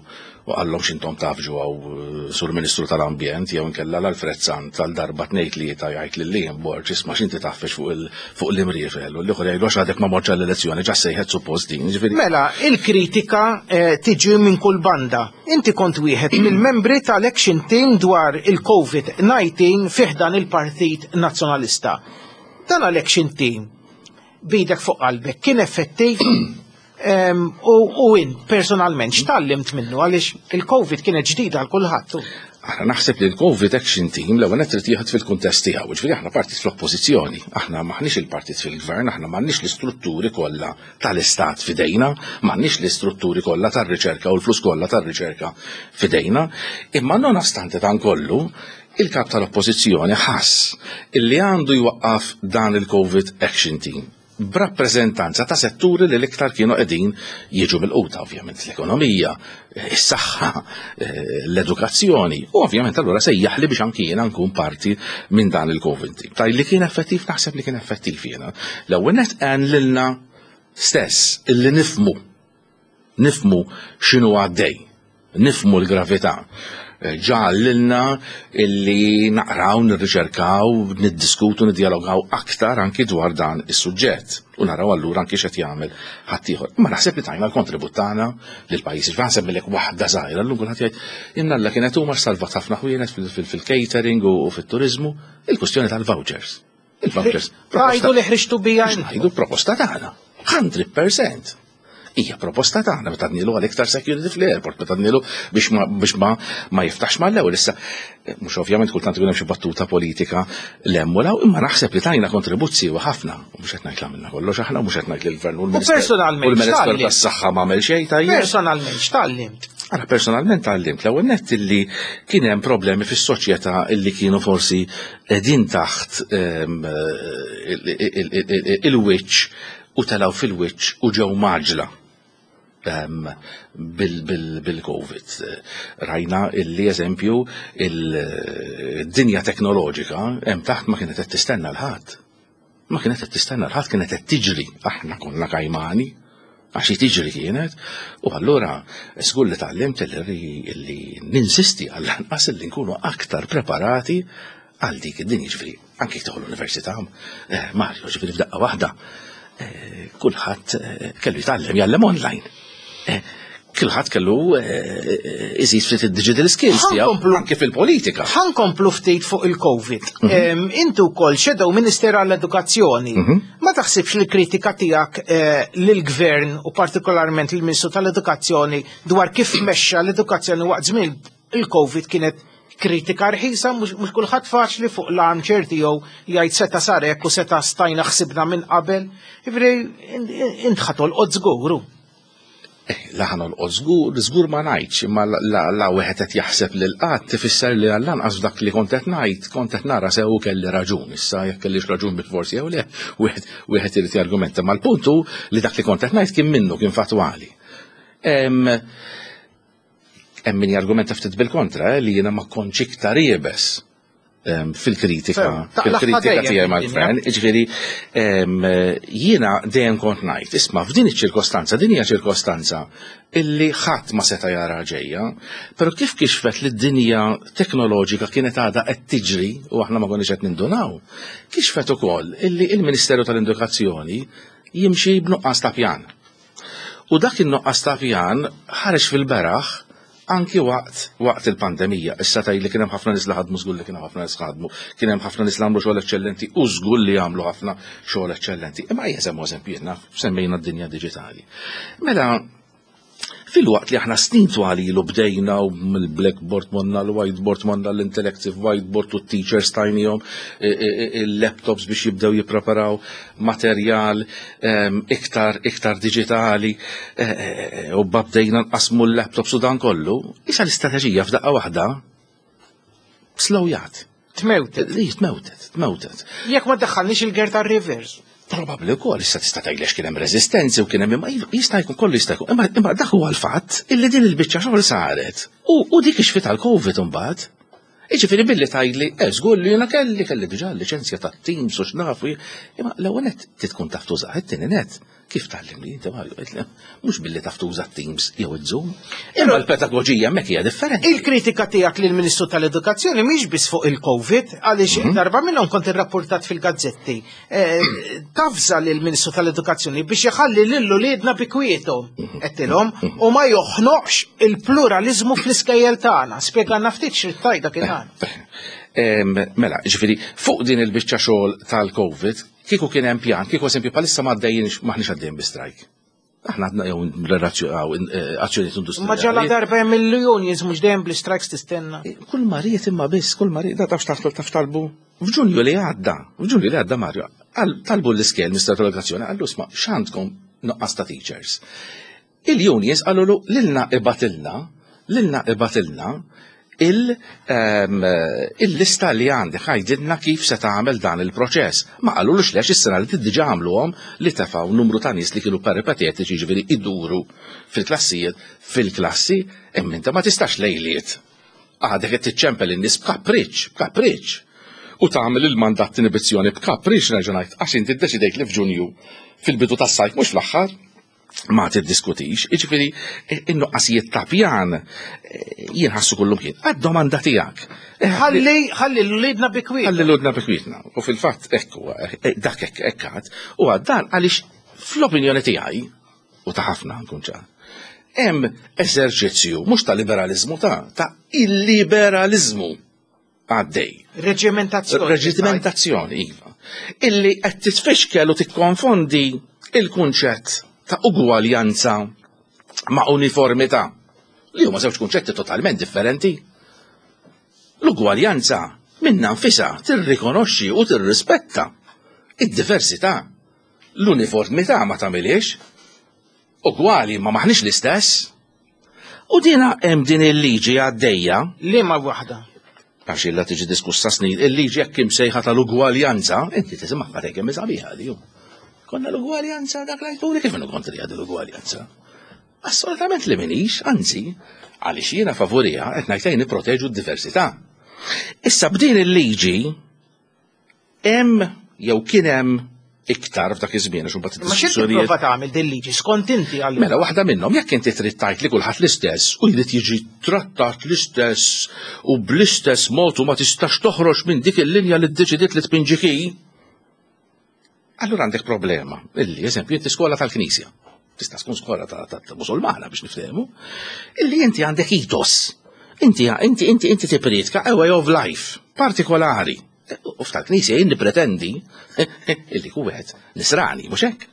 u qallhom x'intom tafġu hawn eh, sur Ministru tal-Ambjent jew inkella l-Alfred Sant għal darba tnejn tlieta jgħid lil Ian Borg isma' x'inti tafex fuq fuq l-imriefel u l-ieħor jgħidu għax għadek ma mortx għall-elezzjoni ġa sejħet suppost din. Ġifieri Mela, il-kritika eh, tiġi minn kull banda. Inti kont wieħed mill-membri tal-action team dwar il-COVID-19 fi ħdan il-Partit Nazzjonalista. Dan għalhekk x'inti bidek fuq qalbek kien effettiv u int personalment x'tallimt minnu għaliex il-COVID kienet ġdida għal kulħadd. Aħna naħseb li l-COVID Action Team l-ewwel qed trid jieħed fil-kuntest tiegħu, ġifieri aħna partit fl-oppożizzjoni, aħna maħniex il-partit fil-gvern, aħna m'għandniex l-istrutturi kollha tal-istat f'idejna, m'għandniex l-istrutturi kollha tar-riċerka u l-flus kollha tar-riċerka f'idejna, imma nonostante dan kollu, Il-Kap tal-Oppożizzjoni ħass illi għandu jwaqqaf dan il-Covid Action Team. b'rappreżentanza ta' setturi li l-iktar kienu qegħdin jiġu milquta, ovvjament l-ekonomija, is-saħħa, l-edukazzjoni, u ovvjament allura sejjaħli biex anki jiena nkun parti minn dan il-COVID team. Taj li kien effettiv, naħseb li kien effettiv jiena. L-ewwel nett għen lilna stess illi nifhmu nifhmu x'inhu għaddej, nifhmu l-gravità. Ġagħlilna illi naqraw, nirriċerkaw, niddiskutu, niddialogaw aktar anki dwar dan is-suġġett u naraw allura anki x'qed jagħmel ħaddieħor. Imma naħseb li tajna l-kontribut tagħna lill-pajjiż. Ġifieri nsemmilek waħda żgħira, llum kulħadd jgħid imnalla kienet huma salvat ħafna ħwienet fil-catering u fit-turiżmu, il-kwistjoni tal-vouchers. Il-vouchers. Għajdu li ħriġtu bija. Għajdu proposta tagħna. 100%. Hija proposta tagħna meta tnilu għal iktar security fl-airport, meta tnilu biex ma biex ma ma jiftax mal-ewwel issa. Mhux ovvjament kultant ikun hemm xi battuta politika l-hemm u law, imma naħseb li tajna kontribut siewi ħafna. U mhux qed ngħid li għamilna kollox aħna, mhux qed ngħid li l-gvern u l-Ministru personalment u l-Ministru x'tgħallimt? tas-Saħħa ma għamel xejn tajjeb. Personalment x'tgħallimt? Ara personalment tgħallimt l-ewwel nett illi kien hemm problemi fis-soċjetà illi kienu forsi qegħdin taħt il-wiċċ u telgħu fil-wiċċ u ġew mgħaġġla bil-Covid. Rajna illi eżempju il-dinja teknoloġika hemm taħt ma kienet qed tistenna l-ħadd. Ma kienet qed tistenna l-ħadd, kienet qed tiġri, aħna konna kajmani, għax hi tiġri kienet, u allura żgur li tgħallimt illi ninsisti għall-anqas illi nkunu aktar preparati għal dik id-dinja, ġifieri anke jekk tidħol l-università, Mario, ġifieri f'daqqa waħda, kulħadd kellu jitgħallem jgħallem online. Kulħadd kellu iżid ftit id-digital skills tiegħu anke fil-politika. Ħankomplu ftit fuq il-Covid. Inti wkoll shadow Minister għall-Edukazzjoni. Ma taħsibx li kritika tiegħek lill-Gvern u partikolarment lill-Ministru tal-Edukazzjoni dwar kif mexxa l-edukazzjoni waqt żmien il-Covid kienet kritika rħisa, mhux kulħadd faċli fuq l-armchair tiegħu jgħid seta' sar hekk u seta' stajna ħsibna minn qabel. Jiġifieri int ħa tolqot żgur. La ħa nolqot żgur, żgur ma ngħidx, imma la wieħed qed jaħseb lil qatt ifisser li għall-anqas f'dak li kont qed ngħid, kont qed nara sew u kelli raġun. Issa jekk kellix raġun bil-forsi jew le, wieħed irid jargumenta. Ma l-punt hu li dak li kont qed ngħid kien minnu, kien fattwali. Hemm min jargumenta ftit bil-kontra, li jiena ma kontx iktar iebes fil-kritika, fil-kritika tiegħi mal-gvern. Jiġifieri jiena dejjem kont ngħid, isma' f'din iċ-ċirkostanza, din hija ċirkostanza illi ħadd ma seta' jara ġejja, però kif kixfet li d-dinja teknoloġika kienet għadha qed tiġri u aħna ma konniex qed nindunaw, kixfet ukoll illi il-Ministeru tal-Edukazzjoni jimxi b'nuqqas ta' pjan. U dak in-nuqqas ta' pjan ħareġ fil-beraħ anki waqt waqt il-pandemija. Issa tgħid li kien hemm ħafna nies li ħadmu żgur li kien hemm ħafna nies ħadmu, kien hemm ħafna nies li għamlu xogħol eċċellenti u żgur li għamlu ħafna xogħol eċċellenti. Imma ejja semmu eżempju jiena semmejna d-dinja diġitali. Mela filwaqt li aħna snin twal ilu bdejna u mill-blackboard monna l-whiteboard monna l-interactive whiteboard u t-teachers tajnihom il-laptops biex jibdew jippreparaw materjal iktar iktar diġitali u bdejna nqasmu l-laptops u dan kollu, issa l-istrateġija f'daqqa waħda slowjat. Tmewtet. Li tmewtet, tmewtet. Jekk ma daħħalniex il-ger tar-reverse. Probabbli wkoll issa tista' tgħidlex kien hemm reżistenzi u kien hemm imma jista' jkun kollu jista' jkun. Imma imma dak huwa l-fatt illi din il-biċċa xogħol saret. U dik ixfit għall-Covid imbagħad. Jiġifieri billi tgħidli, eh żgur li jiena kelli kelli diġà l-liċenzja tat-Teams u x'nafu. Imma l-ewwel nett trid tkun taf tużah, it-tieni nett kif tgħallimni inti Mario, mhux billi taf tuża t-Teams jew iż-Zoom. Imma l-pedagoġija hemmhekk hija differenti. Il-kritika tiegħek lill-Ministru tal-Edukazzjoni mhix biss fuq il-Covid, għaliex darba minnhom kont irrapportat fil-gazzetti. Tafża lill-Ministru tal-Edukazzjoni biex iħalli lil uliedna bi kwiethom, qedtilhom, u ma joħnoqx il-pluraliżmu fl-iskejjel tagħna. Spjegalna ftit x'rid tgħid dakinhar. Mela, ġifieri, fuq din il-biċċa xogħol tal-Covid, kieku kien hemm pjan, kieku eżempju bħalissa ma għaddejjin maħniex għaddejjin bi strajk. Aħna għadna jew azzjonijiet industrijali. Ma ġala darba hemm il-unions mhux dejjem bl-strikes tistenna. Kull ma ried imma biss, kull ma ried, tafx taf taf talbu. F'Ġunju li għadda, f'Ġunju li għadda Mario, talbu l-iskejjel Ministru tal-Edukazzjoni, qallu isma' x'għandkom nuqqas ta' teachers. Il-unions qalulu lilna ibatilna, lilna ibatilna Ehm, il-lista li għandek għajdilna kif se tagħmel dan il-proċess. Ma qalulux lex is-sena li diġà għamluhom li tefgħu numru ta' nies li kienu peripetetiċi ġifieri iduru fil-klassijiet fil-klassi, imma inta ma tistax lejliet. Għadek qed tiċċempel in-nies b'kapriċċ, b'kapriċċ. U tagħmel il-mandat inibizzjoni b'kapriċċ nerġa' ngħid għax inti ddeċidejt li f'Ġunju fil-bidu tas-sajf mhux fl-aħħar ma tiddiskutix, jiġifieri in-nuqqasijiet ta' pjan eh, jinħassu kullum kien. Għad-domanda tiegħek. Eh, ħalli ħalli l-ulidna bikwietna. Ħalli l-ulidna bikwietna. U fil-fatt hekk huwa eh, dak hekk hekk u dan għaliex fl-opinjoni tiegħi u ta' ħafna nkun ċar. Hemm eżerċizzju mhux ta' liberalizmu ta' ta' illiberalizmu għaddej. Reġimentazzjoni. Reġimentazzjoni, iva. Illi qed titfixkel u tikkonfondi il-kunċett ta' ugwaljanza ma' uniformità. Li huma żewġ kunċetti totalment differenti. L-ugwaljanza minna nfisha tirrikonoxxi u tirrispetta id-diversità. L-uniformità ma tagħmilhiex. Ugwali ma maħniex l-istess. U dina hemm din il-liġi għaddejja. Liema waħda? Għax illa tiġi diskussa snin, il-liġi jekk imsejħa tal-ugwaljanza, inti tisimgħha tgħid kemm sabiħa li Konna l-ugwaljanza dak lajturi kif inhu kontri għadu l-ugwaljanza. Assolutament li minix, anzi, għaliex jiena favorija qed ngħid nipproteġu d-diversità. Issa b'din il-liġi Hemm jew kien hemm iktar f'dak iż-żmien għax imbagħad Ma xi tipprova tagħmel din liġi skont inti għal Mela waħda minnhom jekk inti trid tgħid li kulħadd l-istess u jrid jiġi trattat l-istess u bl-istess mod u ma tistax toħroġ minn dik il-linja li ddeċidiet li tpinġi ki. Allura għandek problema, illi eżempju inti skola tal-Knisja, tista' tkun skola ta' Musulmana biex niftehmu, illi inti għandek itos. Inti inti inti inti tipritka a way of life partikolari. U f'tal-Knisja jien nippretendi illi wieħed nisrani, mhux hekk?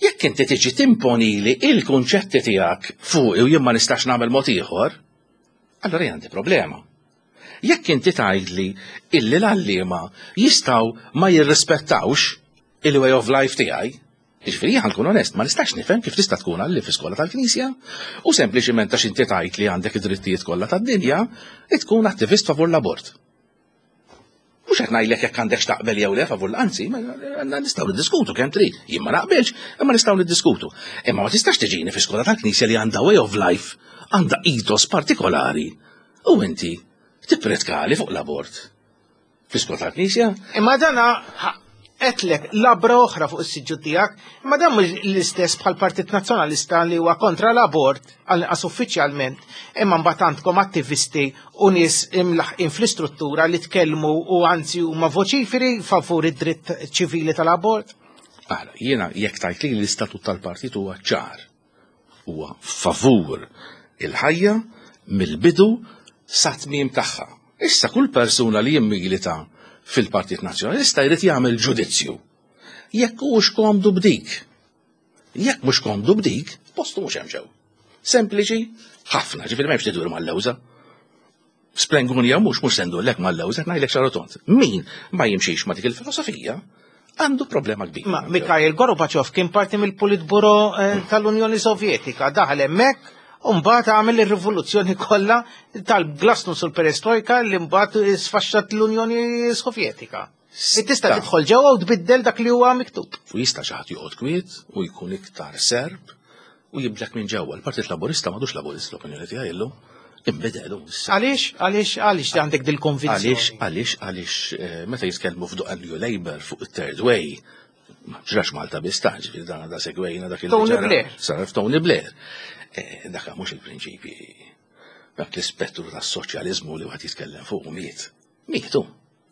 Jekk inti tiġi timponili il-kunċetti tiegħek fuq u jien ma nistax nagħmel mod ieħor, allura jien għandi problema. Jekk inti tgħidli illi l-għalliema jistgħu ma jirrispettawx il-way of life tiegħi, jiġifieri jien nkun onest, ma nistax nifhem kif tista' tkun għalli fi skola tal-Knisja u sempliċiment għax inti tgħid li għandek id-drittijiet kollha tad-dinja, tkun attivist favur l-abort. Mhux qed ngħidlek jekk għandek x'taqbel jew le favur anzi, nistgħu niddiskutu kemm trid. Jien ma naqbilx, imma nistgħu niddiskutu. Imma ma tistax tiġini fi skola tal-Knisja li għandha way of life, għandha ethos partikolari u inti tippretkali fuq l-abort. Fi skola tal-Knisja? Imma dana għedtlek labra oħra fuq is-siġġu tiegħek, imma dan mhux l-istess bħal Partit Nazzjonalista li huwa kontra l-abort għall-inqas uffiċjalment, imma mbagħad għandkom attivisti u nies imlaħqin fl-istruttura li tkellmu u anzi huma voċiferi favur id-dritt ċivili tal-abort. Ara, jiena jekk tgħid li l-istatut tal-partit huwa ċar. Huwa favur il-ħajja mill-bidu sa tmiem tagħha. Issa kull persuna li jimmilita fil-Partit Nazzjonalista jrid jagħmel ġudizzju. Jekk hux komdu b'dik. Jekk mhux komdu b'dik, postu mhux hemm ġew. Sempliċi ħafna, ġifieri m'hemmx tidur mal-lewża. Splengunja mhux mhux sendu lek mal-lewża, ngħidlek xarotont. Min ma jimxix ma dik il-filosofija għandu problema kbira. Ma Mikhail Gorbachev kien parti mill-Politburo eh, tal-Unjoni Sovjetika, daħal hemmhekk u mbagħad għamel ir-rivoluzzjoni kollha tal-glasnost u l-perestrojka li mbagħad sfaxxat l-Unjoni Sovjetika. Tista' tidħol ġewwa u tbiddel dak li huwa miktub. U jista' xi ħadd joqgħod kwiet u jkun iktar serb u jibdlek minn ġewwa. Il-Partit Laburista m'għadux Laburist l-opinjoni tiegħi illum. Inbidel u issa. Għaliex? Għaliex? Għaliex għandek dil-konvinzjoni? Għaliex, għaliex, għaliex eh, meta jitkellmu f'duq New Labour fuq it-third way, ma ġrax Malta biss ta' ġifieri dan da segwejna dak il Tony Blair. Sar Tony Blair. Eh, dak mhux il-prinċipji dak l-ispettru tas-soċjaliżmu li wieħed jitkellem fuq miet. Mietu.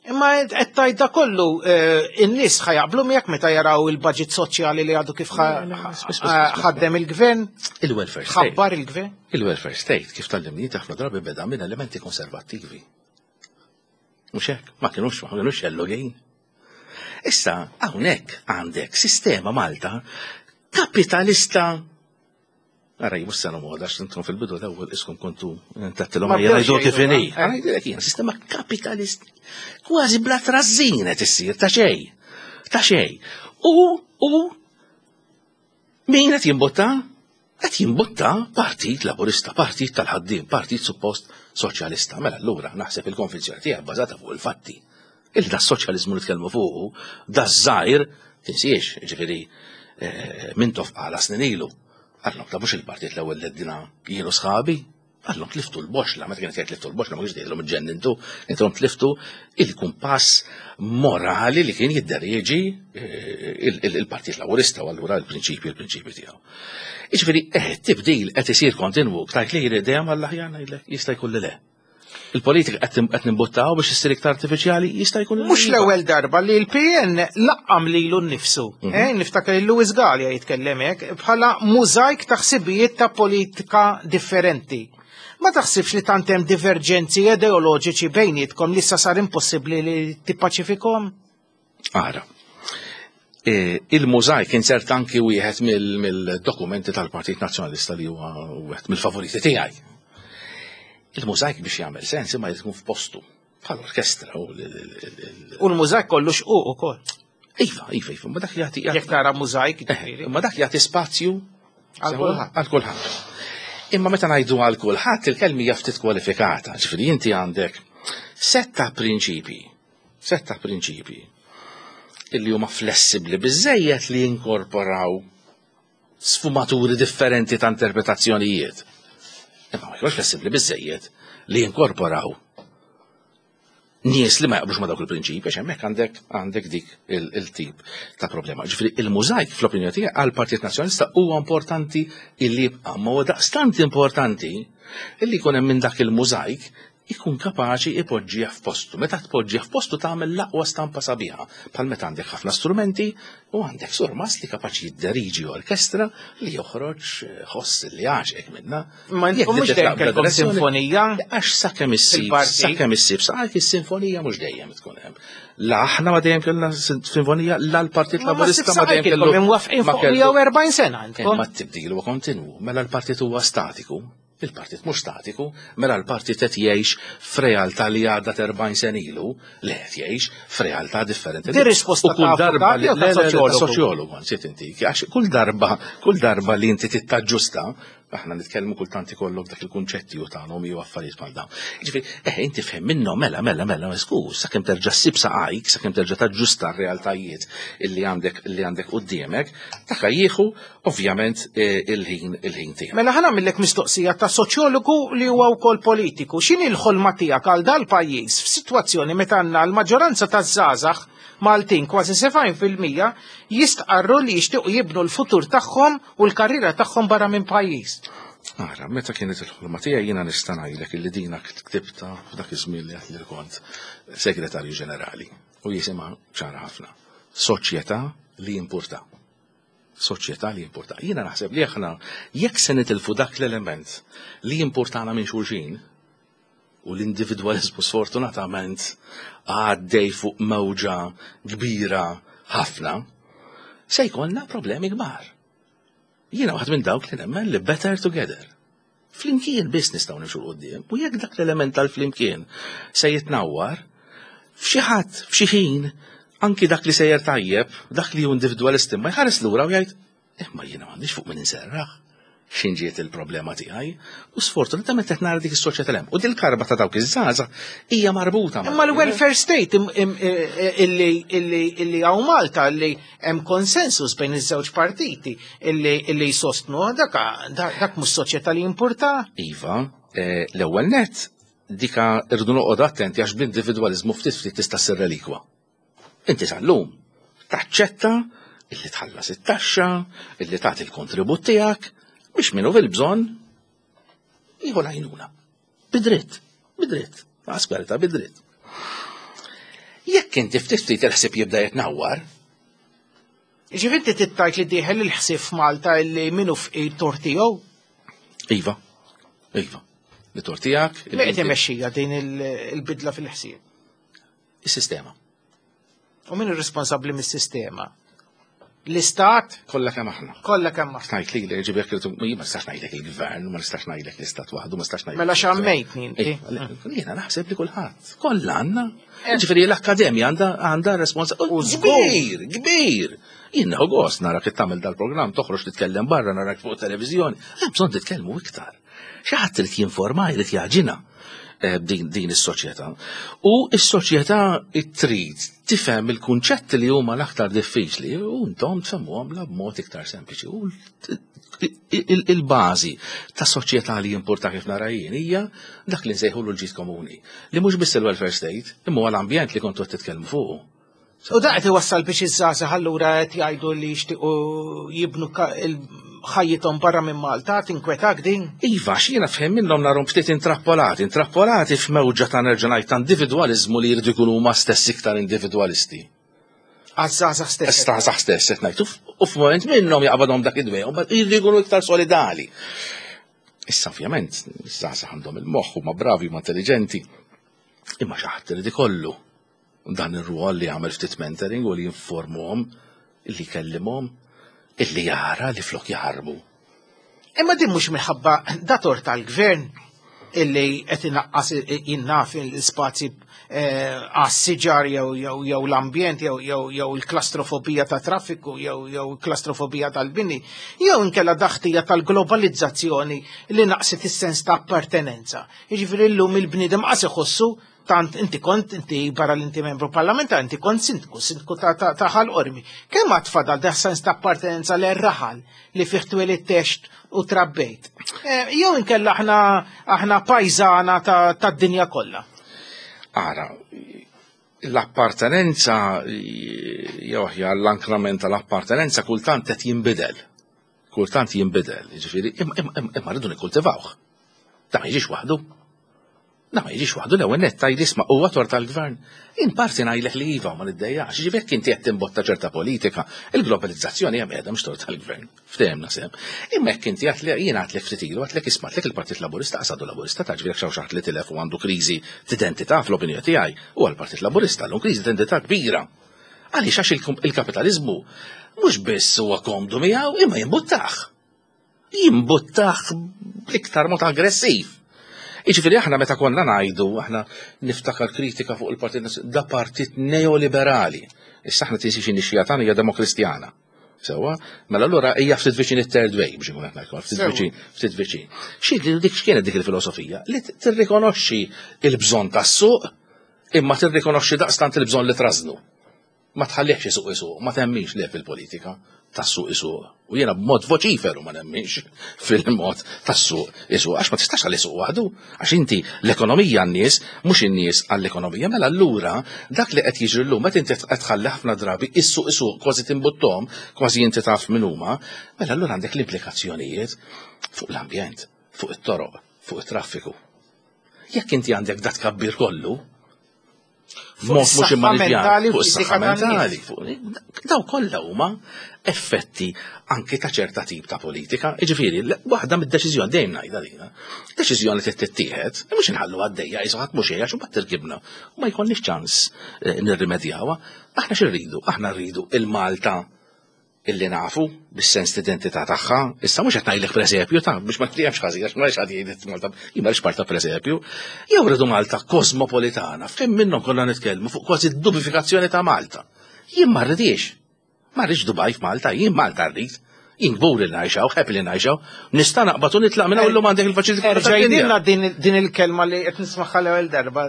Imma qed tgħid da kollu eh, in-nies ħajaqblu miegħek meta jaraw il-budget soċjali li għadu kif ħaddem il-gvern. Il-welfare state. Ħabbar il-gvern. Il-welfare state kif tallimni ħafna drabi beda minn elementi konservattivi. Mhux hekk, ma kienux ma kienux xellugin. Issa hawnhekk għandek sistema Malta kapitalista Ara, jimux sena moda, għax intom fil-bidu l-ewwel iskom kontu tattilhom jgħidu kif inhi. Ngħidilek jien sistema kapitalist kważi bla trażżin qed issir ta' xejn. Ta' xejn. U u min qed jimbotta? Qed jimbotta Partit Laburista, Partit tal-ħaddiem, partit suppost soċjalista, mela allura naħseb il-konvinzjoni tiegħi bbażata fuq il-fatti. Il da soċjaliżmu nitkellmu fuqu, da żgħir tinsiex, ġifieri eh, minn tofqala snin ilu. Għallok ta' mhux il-partit l-ewwel li dina jienu sħabi, Għallhom tliftu l-boxla, meta kienet jgħid tliftu l-boxla, ma kienx jgħidilhom iġġennintu, intom tliftu il-kumpass morali li kien jidderieġi eh, il-Partit Laburista u allura l-prinċipji l-prinċipji tiegħu. Jiġifieri eh, tibdil qed isir kontinwu, tajt li dejjem għall-aħjar ngħidlek jista' jkun li le. Il-politika qed nimbuttaw biex issir iktar artifiċjali jista' jkun Mhux iva. l-ewwel darba li l-PN laqqam lilu nnifsu. Mhm. Eh, niftakar il Louis Galea jitkellem hekk bħala mużajk ta' ħsibijiet ta' politika differenti. Ma taħsibx li tant hemm diverġenzi ideoloġiċi bejnietkom li issa sar impossibbli li tippaċifikhom? Ara. E, il-mużajk insert anki wieħed mill-dokumenti tal-Partit Nazzjonalista li huwa wieħed mill-favoriti tiegħi. Il-mużajk biex jagħmel sens imma jkun f'postu bħal orkestra u U l-mużajk kollu xquq ukoll. Iva, iva, iva, ma dak jagħti. Jekk tara mużajk, eh, ma dak jagħti spazju għal kulħadd. Imma meta ngħidu għal kulħadd il-kelmi hija ftit kwalifikata, ġifieri inti għandek setta prinċipji Sett ta' prinċipji illi huma flessibbli biżejjed li jinkorporaw sfumaturi differenti ta' interpretazzjonijiet. Imma ma jkunx flessibbli biżejjed li jinkorporaw nies li ma jaqblux ma dawk il-prinċipi, għax hemmhekk għandek għandek dik il-tip ta' problema. Ġifieri il-mużajk fl-opinjoni tiegħi għall Partit Nazzjonalista huwa importanti illi jibqa' ma huwa daqstant importanti illi jkun hemm minn dak il-mużajk ikun kapaċi ipoġġih f'postu. Meta tpoġġih f'postu tagħmel l-aqwa stampa sabiħa, bħal meta għandek ħafna strumenti u għandek surmast li kapaċi jidderiġi orkestra li joħroġ eh, ħoss li għaxek minna. Ma mhux dejjem kellkom sinfonija. Għax sakemm issib, sakemm issib, saqajk is-sinfonija mhux dejjem tkun hemm. La aħna ma dejjem kellna sinfonija, la l-Partit Laburista ma dejjem kellu. Imwafqin fuq 140 sena. Ma t-tibdil huwa kontinwu, mela l-partit huwa statiku. Il-partit mhux statiku, mela l-partit qed jgħix f'realtà li għadha 40 sen ilu, li qed jgħix f'realtà differenti. Di risposta kull darba li soċjologu, soċjologu nsiet inti, għax kull darba, kull darba li inti tittaġġusta, aħna nitkellmu kultant ikollok dak il-kunċetti u tagħhom jew affarijiet bħal dawn. Ġifieri, eh inti fhem minnhom mela mela mela skus, sakemm terġa' ssib saqajk, sakemm terġa' taġġusta r-realtajiet illi għandek illi għandek quddiemek, dak jieħu ovvjament eh, il-ħin il-ħin tiegħek. Mela ħa nagħmillek mistoqsija ta' soċjologu li huwa wkoll politiku. X'inhi l-ħolma tiegħek għal dal-pajjiż f'sitwazzjoni meta għandna l-maġġoranza taż-żgħażagħ Maltin kważi 70% jistqarru li jixtiequ jibnu l-futur tagħhom u l-karriera tagħhom barra minn pajjiż. Ara, meta kienet il-ħolma tiegħi jiena nista' ngħidlek illi dina ktibta f'dak iż-żmien li għad li kont segretarju ġenerali u jisimha ċara ħafna. Soċjetà li jimpurta. Soċjetà li jimpurta. Jiena naħseb li aħna jekk se nitilfu dak l-element li jimpurtana minn xulxin, u l-individwaliżmu sfortunatament għaddej fuq mewġa kbira ħafna, se jkollna problemi kbar. Jiena waħed minn dawk li nemmen li better together. Flimkien biss nistgħu nimxu 'l quddiem u jekk dak l-element tal-flimkien se jitnawwar, f'xi ħadd, f'xi ħin, anki dak li sejjer tajjeb, dak li hu individwalist imma jħares lura u jgħid, imma jiena m'għandix fuq min inserraħ x'in ġiet il-problema tiegħi u sfortunatament qed nara dik is-soċjetà hemm. U dil-karba ta' dawk iż-żgħażagħ hija marbuta ma' Imma l-welfare state illi hawn Malta li hemm konsensus bejn iż-żewġ partiti illi illi jsostnu dak dak mhux soċjetà li jimpurta. Iva, eh, l-ewwel net dika rridu noqgħod attenti għax bl-individwaliżmu ftit ftit tista' ssir relikwa. Inti sal-lum taċċetta illi tħallas it-taxxa, illi tagħti l-kontribut tiegħek biex minnu fil-bżonn jieħu l-għajnuna. Bidritt, bidritt, għas bidritt. Jekk inti ftit ftit il-ħsieb jibda jitnawwar. Ġifieri inti tittajt li dieħel il-ħsieb f'Malta li minnu fqir tort tiegħu? Iva, iva. Li tort tiegħek. Li qed imexxija din il-bidla fil-ħsieb? Is-sistema. U min ir-responsabbli mis-sistema? L-istat? Kollha kemm aħna. Kollha kemm aħna. Ngħid li li ġibek ma nistax ngħidlek il-gvern, ma nistax ngħidlek l-istat waħdu, ma nistax ngħidlek. Mela x'għammejtni inti? Jiena naħseb li kulħadd. Kollha għandna. Eh. Ġifieri l-akkademja għandha għandha responsabilità. Kbir, kbir. Jien nieħu gost narak tagħmel dal-programm, toħroġ titkellem barra, narak fuq televiżjoni. Hemm bżonn titkellmu iktar. Xi ħadd irid jinforma, irid jaġina. eh, din, din is-soċjetà. U s-soċjetà trid tifhem il-kunċetti li huma l-aktar diffiċli u intom tfehmuhom la b'mod iktar sempliċi. U il-bażi ta' soċjetà li jimporta kif nara jien hija dak li nsejħulu l-ġid komuni. Li mhux biss il-welfare state, imma huwa l-ambjent li kontu qed titkellmu fuqu. U da qed iwassal biex iż-żgħażagħ allura qed jgħidu li jixtiequ jibnu ħajjithom barra minn Malta, tinkwetak din? Iva, x'jiena f'ħin minnhom narhom ftit intrappolati, intrappolati f'mewġa ta' nerġa' ngħid ta' individwaliżmu li jridu jkunu huma stess iktar individwalisti. Għaż-żgħażagħ stess. Żgħażagħ stess qed ngħid. U f'mument minnhom jaqbadhom dak id-dwejja, u jridu jkunu iktar solidali. Issa ovvjament, iż-żgħażagħ għandhom il-moħħ huma bravi, huma intelligenti. Imma xi ħadd irid ikollu dan ir-rwol li jagħmel ftit mentoring u li jinformuhom, illi jkellimhom, illi jara li flok jaħarbu. Imma din mhux minħabba da tort tal-gvern illi qed inaqqas jinnaf l-spazji eh, għas-siġar jew l-ambjent jew il-klastrofobija ta' traffiku jew il-klastrofobija tal-bini, jew inkella daħtija tal-globalizzazzjoni li naqset is-sens ta' appartenenza. Jiġifieri llum il-bniedem qas iħossu tant inti kont inti barra l-inti membru parlamentari, inti kont sindku, sindku ta' Ħal Qormi. Kemm għad fadal da sens ta' appartenenza l raħal li fih twelid text u trabbejt? Eh, jew inkella aħna aħna pajżana tad-dinja kollha. Ara, l-appartenenza jew aħjar l-ankrament tal-appartenenza kultant qed jinbidel. Kultant jinbidel, jiġifieri imma rridu nikkultivawh. Da ma jiġix waħdu. Da ma jiġix waħdu l-ewwel nett tgħid isma' huwa tort tal-gvern. In parti ngħidlek li iva ma niddejjaqx, jiġifieri jekk inti qed timbotta ċerta politika, il-globalizzazzjoni hemm qiegħda mhux tort tal-gvern. Ftehemna sehem. Imma jekk inti għedt li jiena għedtlek ftit ilu għedtlek isma' għedtlek il-Partit Laburista qas għadu Laburista ta' ġifieri jekk xi ħadd li tilef u għandu kriżi t'identità fl-opinjoni tiegħi huwa l-Partit Laburista llum kriżi t'identità kbira. Għaliex għax il-kapitaliżmu mhux biss huwa komdu miegħu imma jimbuttah. Jimbuttah bl-iktar mod aggressiv. Jiġifieri aħna meta konna ngħidu, aħna niftakar kritika fuq il-Partit da partit neoliberali. Issa aħna tinsi xi nixxija tagħna hija demokristjana. Sewwa, mela allura hija ftit viċin it-third way biex ikun qed ngħid, ftit viċin, ftit viċin. Xi dik x'kienet dik il-filosofija? Li tirrikonoxxi il-bżonn tas-suq imma tirrikonoxxi daqstant il-bżonn li trażnu. Ma tħallihx isuq isuq, ma temminx le fil-politika tas-suq isuq. U jiena b'mod voċiferu ma nemminx fil-mod tas-suq isuq, għax ma tistax għal isuq waħdu, għax inti l-ekonomija n-nies, mhux in-nies għall-ekonomija, mela allura dak li qed jiġri llum meta inti qed tħalli ħafna drabi is-suq isuq kważi timbuttom, kważi inti taf min huma, mela allura għandek l-implikazzjonijiet fuq l-ambjent, fuq it-toroq, fuq it-traffiku. Jekk inti għandek dat kabbir kollu, mod mhux immaniġjat fuq is-saħħa mentali, daw kollha huma effetti anki ta' ċerta tip ta' politika. Jiġifieri, waħda mid-deċiżjoni dejjem ngħidha dina. Deċiżjoni trid tittieħed, mhux inħallu għaddejja qisu ħadd mhux għax imbagħad tirkibna u ma jkollniex ċans eh, nirrimedjawha. Aħna xi rridu? Aħna rridu il-Malta illi nafu bis-sens t'identità tagħha, issa mhux qed ngħidlek presepju ta' biex ma tiegħx ħażin għax ma ħadd jgħid Malta, jien m'għalix parta presepju, jew rridu Malta kosmopolitana, f'kemm minnhom konna nitkellmu fuq kważi d-dubifikazzjoni ta' Malta. Jien ma rridix. Ma rridx Dubai f'Malta, jien Malta rrid. Jien kburi li ngħixaw, happy li ngħixaw, nista' naqbad u nitlaq minn hawn illum għandek il-faċilità. Erġa' jgħidilna din il-kelma li qed nismagħha l-ewwel darba.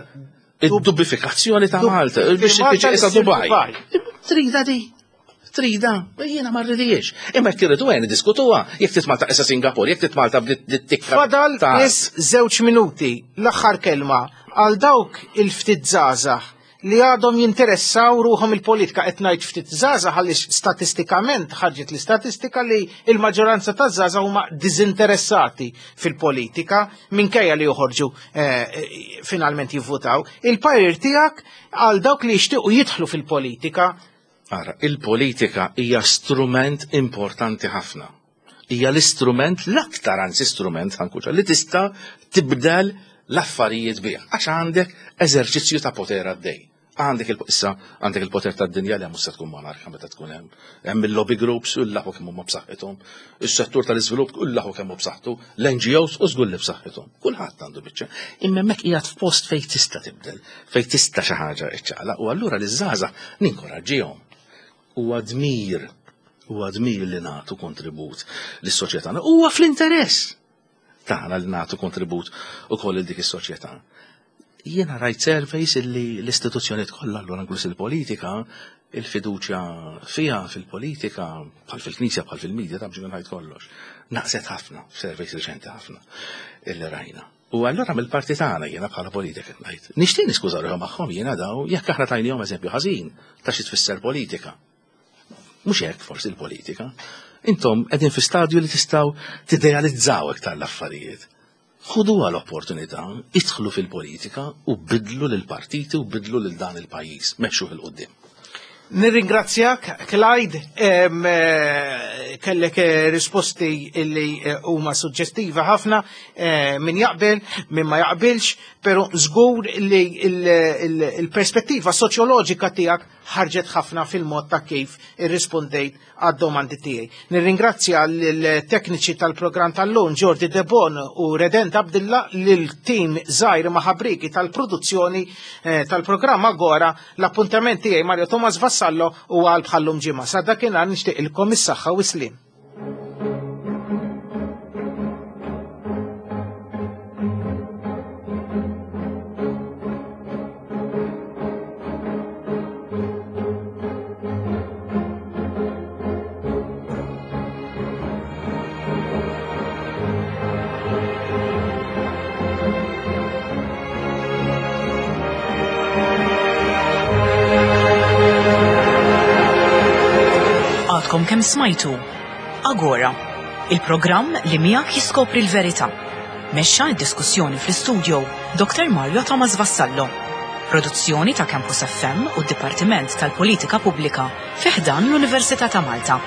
Id-dubifikazzjoni ta' Malta, biex tiġi isa Dubai. Trida di. Trida, jiena ma rridiex. Imma jekk irridu għen diskutuha, jekk trid Malta issa Singapore, jekk trid Malta b'dit-tikka. Fadal biss żewġ minuti, l-aħħar kelma għal dawk il-ftit żgħażagħ li għadhom jinteressaw ruħhom il-politika qed ngħid ftit żgħażagħ għaliex statistikament ħarġet l-istatistika li l-maġġoranza ta' żgħażagħ huma diżinteressati fil-politika minkejja li joħorġu eh, finalment jivvutaw. Il-parir tiegħek għal dawk li jixtiequ jidħlu fil-politika Ara, il-politika hija strument importanti ħafna. Hija l-istrument, l-aktar anzi strument, ħankuċa, li tista' tibdel l-affarijiet bih. Għax għandek eżerċizzju ta' poter għaddej. Għandek il issa għandek il-poter tad-dinja li mhux se tkun monarka meta tkun hemm. Hemm il-lobby groups u l-laħu kemm huma b'saħħithom. Is-settur tal-iżvilupp u l-laħu kemm hu b'saħħtu, l-NGOs u żgur li b'saħħithom. Kulħadd għandu biċċa. Imma hemmhekk qiegħed f'post fejn tista' tibdel. Fejn tista' xi ħaġa iċċaqlaq u allura liż-żgħażagħ ninkoraġġihom. Huwa dmir, huwa dmir li nagħtu kontribut lis-soċjetà. Huwa fl-interess tagħna li nagħtu kontribut ukoll lil dik is-soċjetà. Jiena rajt surveys illi l-istituzzjonijiet kollha allura inkluż il-politika, il-fiduċja fiha fil-politika, bħal fil-knisja, bħal fil-medja, ta' biex ngħid kollox, naqset ħafna, f'surveys riċenti ħafna illi rajna. U allura mill-parti tagħna jiena bħala politika qed ngħid. Nixtieq niskuża ruħi magħhom jiena daw jekk aħna tajnihom eżempju ħażin ta' xi tfisser politika. Mhux hekk forsi l-politika. Intom qegħdin fi stadju li tistgħu tidealizzaw iktar l-affarijiet. Ħuduha l-opportunità, idħlu fil-politika u bidlu lill-partiti u bidlu lil dan il-pajjiż, mexxuh 'il quddiem. Nirringrazzjak, Clyde, eh, kellek eh, risposti illi eh, huma suġġestiva ħafna, min jaqbel, min ma jaqbilx, pero żgur li il-perspettiva soċjoloġika tiegħek ħarġet ħafna fil-mod ta' kif irrispondejt għad-domandi tiegħi. Nirringrazzja l-tekniċi tal-programm tal-lum Jordi Debon u Redent Abdilla lil-tim żgħir maħabriki tal-produzzjoni eh, tal-programm Agora l-appuntament tiegħi Mario Thomas Vassallo u għal bħallum ġimgħa. Sa dakinhar nixtieqilkom is-saħħa u s-slim. Għadkom kemm smajtu Agora, il-programm li miegħek jiskopri l-verità. Mexxa d-diskussjoni fl-istudio Dr. Mario Thomas Vassallo. Produzzjoni ta' Campus FM u d-Dipartiment tal-Politika Pubblika fi ħdan l-Università ta' Malta.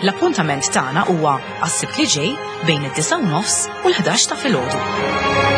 L-appuntament tagħna huwa għas-Sibt li ġej bejn id-9 u nofs u l-11 ta' filgħodu.